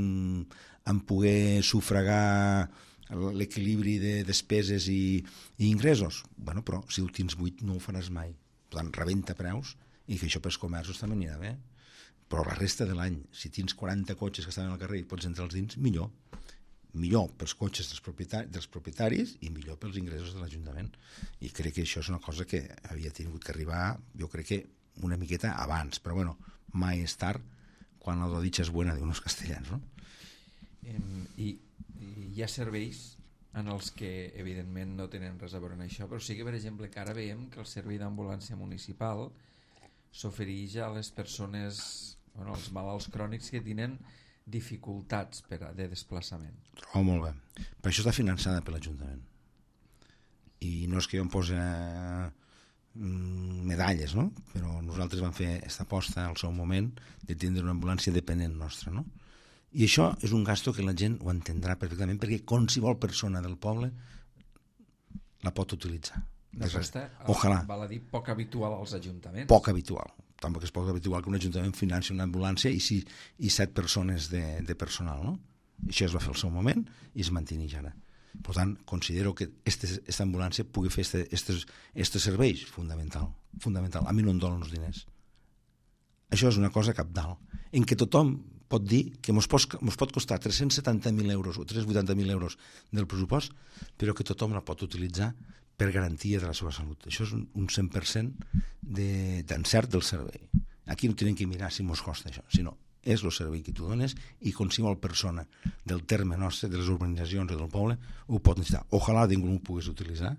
en poder sufragar l'equilibri de despeses i, i ingressos. Bueno, però si ho tens buit no ho faràs mai. Per tant, rebenta preus, i que això pels comerços també anirà bé. Però la resta de l'any, si tens quaranta cotxes que estan al carrer i pots entrar als dins, millor. Millor pels cotxes dels propietaris, dels propietaris i millor pels ingressos de l'Ajuntament. I crec que això és una cosa que havia tingut que arribar, jo crec que una miqueta abans, però bueno, mai és tard, quan la dicha és buena, diuen els castellans, no? I, i hi ha serveis en els que evidentment no tenen res a veure amb això, però sí que, per exemple, que ara veiem que el servei d'ambulància municipal s'ofereix a les persones, bueno, als malalts crònics que tenen dificultats per a, de desplaçament. Trobo molt bé. Per això està finançada per l'Ajuntament. I no és que jo em posi medalles, no? Però nosaltres vam fer aquesta aposta al seu moment de tindre una ambulància dependent nostra, no? I això és un gasto que la gent ho entendrà perfectament, perquè qualsevol persona del poble la pot utilitzar. Aquesta, ojalà. Val a dir, poc habitual als ajuntaments. Poc habitual. Tampoc és poc habitual que un ajuntament financi una ambulància i, si, i set persones de, de personal, no? Això es va fer al seu moment i es manteneix ara. Per tant, considero que aquesta ambulància pugui fer aquests serveis, fundamental, fundamental. A mi no em donen els diners. Això és una cosa cabdal, en què tothom pot dir que ens pot, pot costar tres-cents setanta mil euros o tres-cents vuitanta mil euros del pressupost, però que tothom la pot utilitzar per garantia de la seva salut. Això és un cent per cent d'encert del servei. Aquí no tenen que mirar si ens costa això, sinó és el servei que tu dones i qualsevol persona del terme nostre, de les urbanitzacions o del poble, ho pot necessitar. Ojalà ningú ho pogués utilitzar,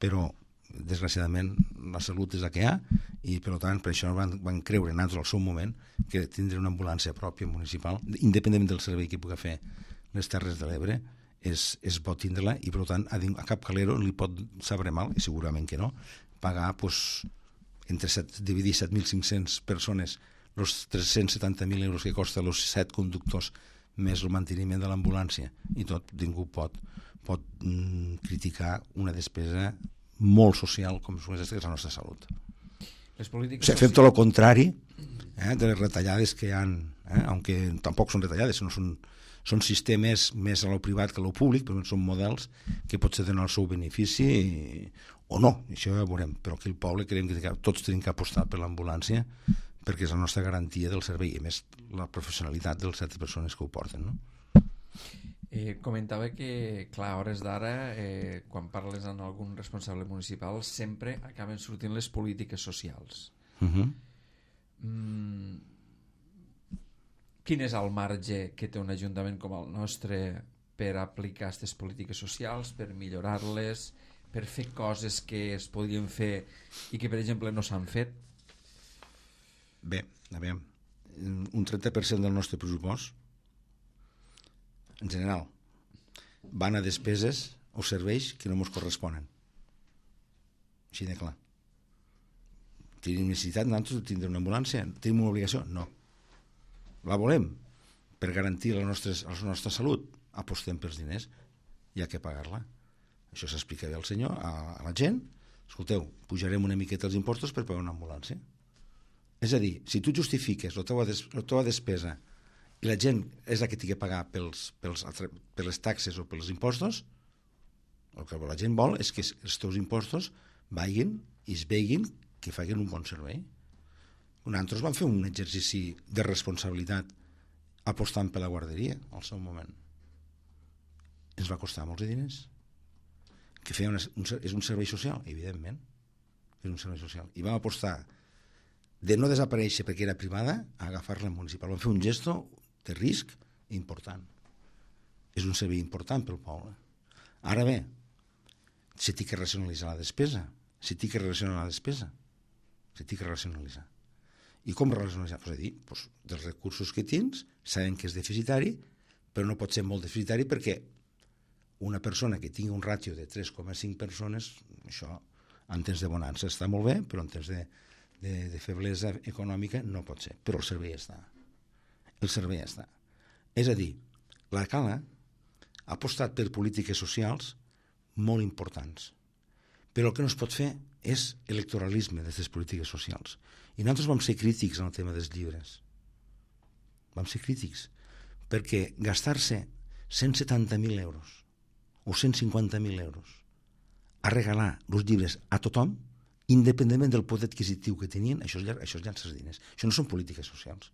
però desgraciadament la salut és la que hi ha i per tant per això van, van creure nosaltres al seu moment que tindre una ambulància pròpia municipal, independentment del servei que pugui fer les Terres de l'Ebre, és, és bo tindre-la i per tant a, a cap calero li pot saber mal, i segurament que no, pagar pues, entre set, dividir set mil cinc-cents persones els tres-cents setanta mil euros que costa els set conductors més el manteniment de l'ambulància i tot, ningú pot, pot mm, criticar una despesa molt social com és la nostra salut. Les polítiques o sigui, fem tot el contrari eh, de les retallades que hi ha, eh, aunque tampoc són retallades, sinó són, són sistemes més a lo privat que a lo públic, però són models que potser tenen el seu benefici i, o no, això ja ho veurem, però aquí al poble creiem que tots tenim que apostar per l'ambulància perquè és la nostra garantia del servei i més la professionalitat de les set persones que ho porten, no? Eh, comentava que, clar, a hores d'ara, eh, quan parles amb algun responsable municipal, sempre acaben sortint les polítiques socials. Uh-huh. Mm, quin és el marge que té un ajuntament com el nostre per aplicar aquestes polítiques socials, per millorar-les, per fer coses que es podrien fer i que, per exemple, no s'han fet? Bé, a veure, un trenta per cent del nostre pressupost en general van a despeses o serveis que no ens corresponen, així de clar. Tenim necessitat nosaltres de tindre una ambulància? Tenim una obligació? No. La volem per garantir la nostra, la nostra salut? Apostem pels diners, hi ha que pagar-la. Això s'explica bé al senyor, a, a la gent. Escolteu, pujarem una miqueta els impostos per pagar una ambulància. És a dir, si tu justifiques la teva, des, la teva despesa i la gent és la que té que pagar pels, pels, per les taxes o pels impostos, el que la gent vol és que els teus impostos vagin i es veguin que facin un bon servei. Nosaltres vam fer un exercici de responsabilitat apostant per la guarderia al seu moment. Ens va costar molts diners. Que feia una, un, és un servei social, evidentment. És un servei social. I vam apostar de no desaparèixer perquè era privada a agafar-la municipal. Vam fer un gesto de risc important. És un servei important pel poble. Ara bé, se té que racionalitzar la despesa. Se té que racionalitzar la despesa. Se té que racionalitzar. I com racionalitzar? Pues a dir, pues, dels recursos que tens, sabem que és deficitari, però no pot ser molt deficitari perquè una persona que tingui un ràtio de tres coma cinc persones, això en temps de bonança està molt bé, però en temps de, de, de feblesa econòmica no pot ser. Però el servei està. El servei està. És a dir, la Cala ha apostat per polítiques socials molt importants. Però el que no es pot fer és electoralisme d'aquestes polítiques socials. I nosaltres vam ser crítics en el tema dels llibres. Vam ser crítics. Perquè gastar-se cent setanta mil euros o cent cinquanta mil euros a regalar els llibres a tothom, independentment del poder adquisitiu que tenien, això és, això és llançar diners. Això no són polítiques socials.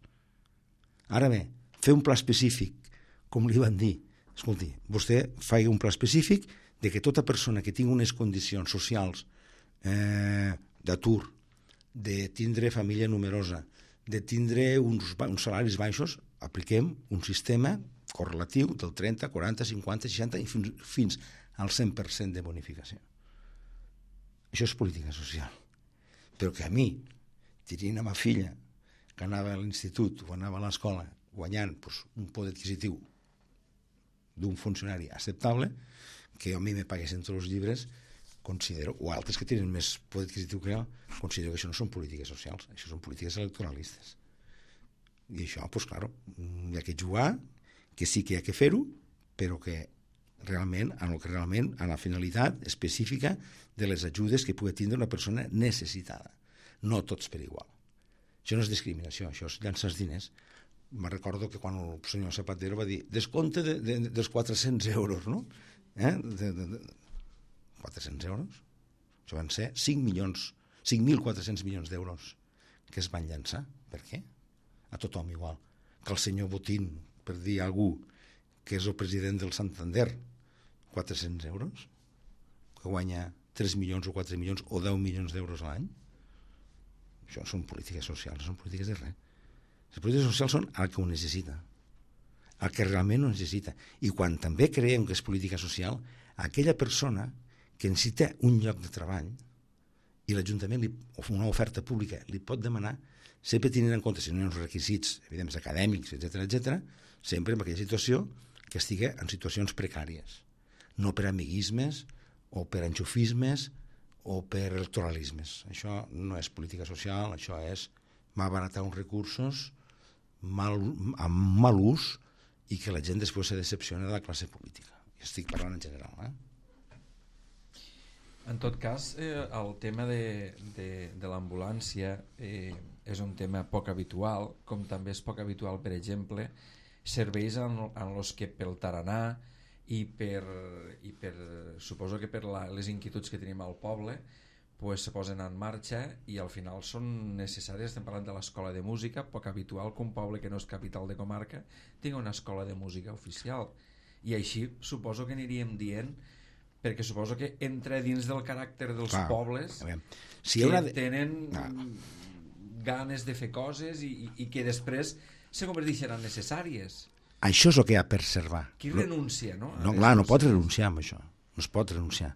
Ara bé, fer un pla específic, com li van dir, escolti, vostè faci un pla específic de que tota persona que tingui unes condicions socials eh, d'atur, de tindre família numerosa, de tindre uns, uns salaris baixos, apliquem un sistema correlatiu del trenta, quaranta, cinquanta, seixanta i fins, fins al cent per cent de bonificació. Això és política social. Però que a mi, tenint a ma filla, que anava a l'institut o anava a l'escola guanyant pues, un poder adquisitiu d'un funcionari acceptable, que a mi me paguessin tots els llibres, considero, o altres que tenen més poder adquisitiu que jo, considero que això no són polítiques socials, això són polítiques electoralistes. I això, doncs, clar, hi ha que jugar, que sí que hi ha que fer-ho, però que realment, en el que realment, en la finalitat específica de les ajudes que pugui tindre una persona necessitada. No tots per igual. Això no és discriminació, això és llançar els diners. Me recordo que quan el senyor Zapatero va dir descompte de, de, dels quatre-cents euros, no? Eh? De, de, de, quatre-cents euros? Això van ser cinc milions, cinc mil quatre-cents milions d'euros que es van llançar. Per què? A tothom igual. Que el senyor Botín, per dir a algú que és el president del Santander, quatre-cents euros, que guanya tres milions o quatre milions o deu milions d'euros a l'any. Això són polítiques socials, són polítiques de res. Les polítiques socials són el que ho necessita, el que realment ho necessita. I quan també creiem que és política social, aquella persona que necessita un lloc de treball i l'Ajuntament o una oferta pública li pot demanar, sempre tenint en compte si no hi ha uns requisits evidents acadèmics, etcètera, etcètera, sempre en aquella situació que estigui en situacions precàries, no per amiguismes o per enxufismes o per electoralismes. Això no és política social, això és malbaratar uns recursos mal, amb mal ús i que la gent després se decepciona de la classe política. Estic parlant en general, eh? En tot cas, eh, el tema de, de, de l'ambulància eh, és un tema poc habitual, com també és poc habitual, per exemple, serveis en, en els que pel taranà i per, i per suposo que per la, les inquietuds que tenim al poble, pues, se posen en marxa i al final són necessàries. Estem parlant de l'escola de música, poc habitual que un poble que no és capital de comarca tingui una escola de música oficial, i així suposo que aniríem dient, perquè suposo que entra dins del caràcter dels Clar, pobles si que de... tenen no. ganes de fer coses i, i, i que després se converteixen en necessàries. Això és el que hi ha per preservar. Qui renuncia, no? No, clar, no pot renunciar amb això. No es pot renunciar.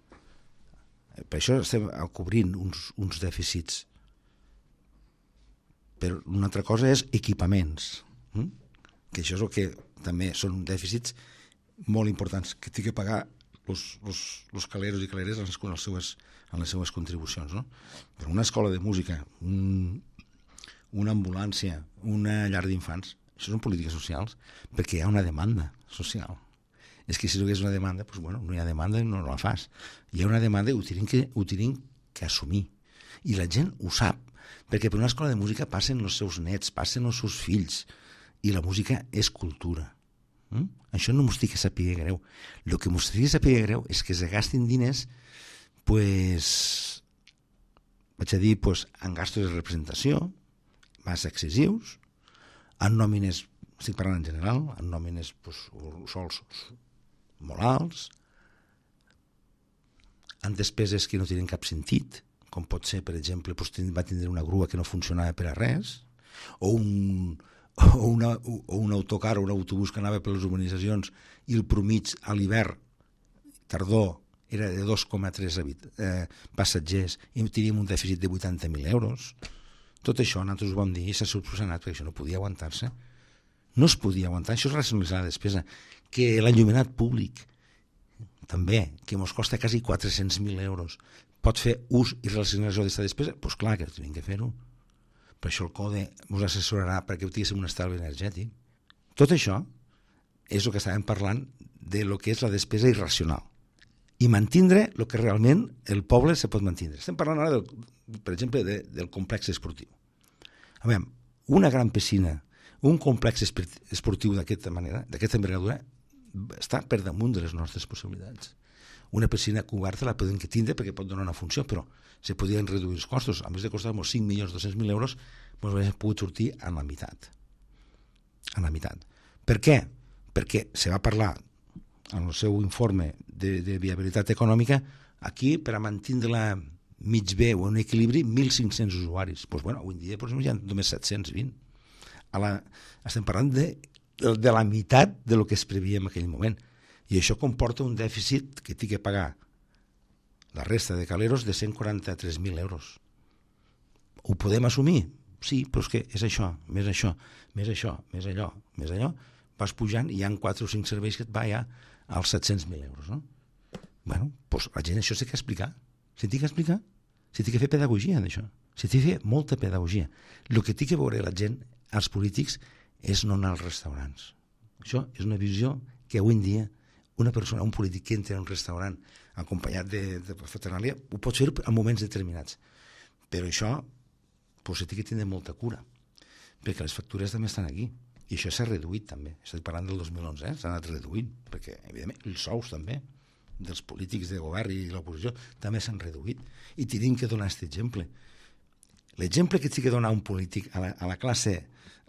Per això estem cobrint uns, uns dèficits. Però una altra cosa és equipaments. Hm? Que això és el que també són dèficits molt importants que té que pagar els, els, els caleros i caleres en les, en les, seues, en les seues contribucions, no? Però una escola de música, un, una ambulància, una llar d'infants, això són polítiques socials perquè hi ha una demanda social. És que si no hi ha una demanda, doncs, bueno, no hi ha demanda i no la fas. Hi ha una demanda i ho tenim que, ho tenim que assumir. I la gent ho sap, perquè per una escola de música passen els seus nets, passen els seus fills, i la música és cultura. Mm? Això no m'ho estic que sàpiga greu. El que m'ho estic que sàpiga greu és que se gastin diners pues, vaig a dir, pues, en gastos de representació, massa excessius, en nòmines, estic parlant en general, en nòmines pues, sols molt alts, en despeses que no tenen cap sentit, com pot ser, per exemple, pues, va tindre una grua que no funcionava per a res, o un, o una, o un autocar o un autobús que anava per les urbanitzacions i el promig a l'hivern, tardor, era de dos coma tres eh, passatgers i teníem un dèficit de vuitanta mil euros. Tot això nosaltres ho vam dir i s'ha subsanat perquè això no podia aguantar-se. No es podia aguantar, això és racionalitzar la despesa. Que l'enllumenat públic, també, que ens costa quasi quatre-cents mil euros, pot fer ús i relacionació d'aquesta despesa? Doncs pues clar que tenim que fer-ho. Per això el CODE ens assessorarà perquè tinguéssim un estalvi energètic. Tot això és el que estàvem parlant de lo que és la despesa irracional i mantindre el que realment el poble se pot mantindre. Estem parlant ara, del, per exemple, de, del complex esportiu. A veure, una gran piscina, un complex esportiu d'aquesta manera, d'aquesta envergadura, està per damunt de les nostres possibilitats. Una piscina coberta la podem tindre perquè pot donar una funció, però se podien reduir els costos. A més de costar uns cinc milions dos-cents mil euros, ens hauríem pogut sortir a la meitat. A la meitat. Per què? Perquè se va parlar en el seu informe de, de viabilitat econòmica, aquí, per a mantenir-la mig bé o un equilibri, mil cinc-cents usuaris. Doncs, bueno, avui en dia doncs, hi ha només set-cents vint. A la, estem parlant de, de la meitat de lo que es previa en aquell moment. I això comporta un dèficit que té que pagar la resta de caleros de cent quaranta-tres mil euros. Ho podem assumir? Sí, però és que és això, més això, més això, més allò, més allò. Vas pujant i hi ha quatre o cinc serveis que et va ja als set-cents mil euros, no? Bueno, doncs la gent això s'ha d'explicar. S'ha d'explicar. S'ha de fer pedagogia d'això. S'ha de fer molta pedagogia. El que té que veure la gent, els polítics, és no anar als restaurants. Això és una visió que avui en dia una persona, un polític que entra en un restaurant acompanyat de, de paternàlia, ho pot fer en moments determinats. Però això doncs, s'ha de tenir molta cura, perquè les factures també estan aquí. I això s'ha reduït també. Estic parlant del dos mil onze, eh? S'ha anat reduint, perquè evidentment els sous també dels polítics de govern i de l'oposició també s'han reduït. I tenim que donar aquest exemple. L'exemple que té que donar un polític a la, a la classe,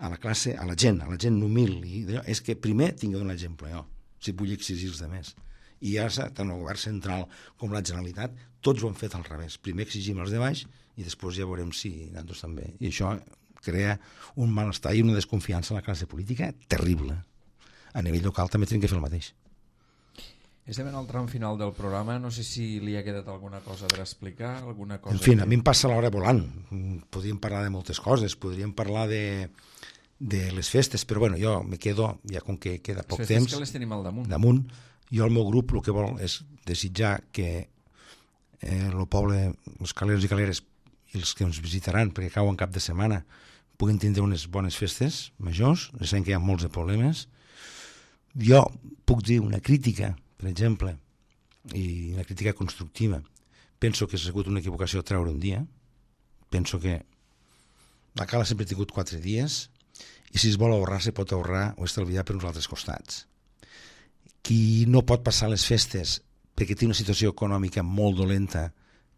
a la classe, a la gent, a la gent humil, i és que primer tinc que donar exemple jo, si vull exigir els altres. I ara, tant el govern central com la Generalitat, tots ho han fet al revés. Primer exigim els de baix i després ja veurem si nosaltres també. I això crea un malestar i una desconfiança a la classe política terrible. A nivell local també tenim que fer el mateix. Estem en el tram final del programa. No sé si li ha quedat alguna cosa per explicar, alguna cosa... En fi, que... a mi em passa l'hora volant. Podríem parlar de moltes coses, podríem parlar de, de les festes, però bueno, jo me quedo, ja com que queda poc les festes temps... que les tenim al damunt. Damunt. Jo, el meu grup, el que vol és desitjar que eh, el poble, els caleros i caleres, i els que ens visitaran, perquè cauen cap de setmana, puguin tindre unes bones festes majors. Sabem que hi ha molts de problemes. Jo puc dir una crítica, per exemple, i una crítica constructiva. Penso que s'ha sigut una equivocació treure un dia. Penso que la cala sempre ha tingut quatre dies i si es vol ahorrar, se pot ahorrar o estalviar per uns altres costats. Qui no pot passar les festes perquè té una situació econòmica molt dolenta,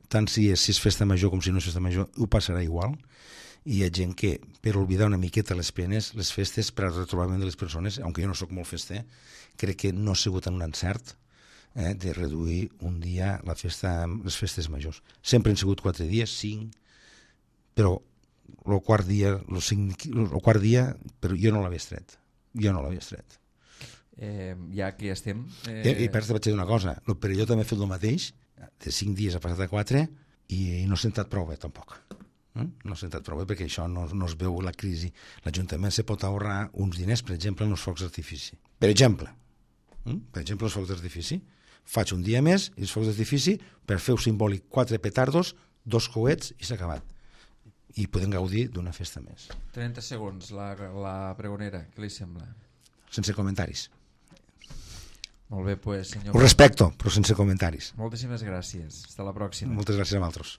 tant si és, si és festa major com si no és festa major, ho passarà igual. I hi ha gent que, per oblidar una miqueta les penes, les festes, per al retrobament de les persones, aunque jo no sóc molt fester, crec que no ha sigut un encert eh, de reduir un dia la festa, les festes majors. Sempre han sigut quatre dies, cinc, però el quart dia, el, cinc, el quart dia, però jo no l'havia estret. Jo no l'havia estret. Eh, ja que estem... Eh... I, i per això vaig dir una cosa, el Perelló també ha fet el mateix, de cinc dies ha passat a quatre, i no s'ha sentat prou bé, tampoc. No s'ha sentat prou bé perquè això no, no es veu la crisi. L'Ajuntament se pot ahorrar uns diners, per exemple, en els focs d'artifici. Per exemple, per exemple, els focs d'artifici. Faig un dia més i els focs d'artifici, per fer un simbòlic quatre petardos, dos coets i s'ha acabat. I podem gaudir d'una festa més. trenta segons, la, la pregonera, què li sembla? Sense comentaris. Molt bé, pues, senyor... Ho respecto, però sense comentaris. Moltíssimes gràcies. Fins la pròxima. Moltes gràcies a vosaltres.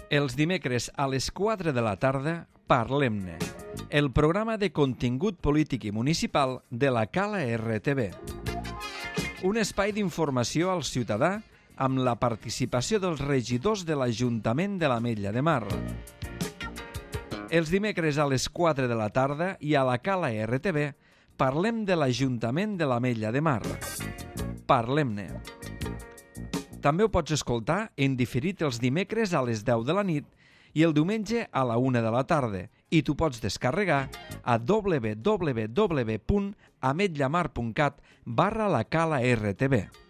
Els dimecres a les quatre de la tarda, Parlem-ne, el programa de contingut polític i municipal de la Cala R T V. Un espai d'informació al ciutadà amb la participació dels regidors de l'Ajuntament de l'Ametlla de Mar. Els dimecres a les quatre de la tarda i a la Cala R T V parlem de l'Ajuntament de l'Ametlla de Mar. Parlem-ne. També ho pots escoltar en diferit els dimecres a les deu de la nit i el diumenge a la una de la tarda i t'ho pots descarregar a w w w punt ametllamar punt cat barra la Cala R T V.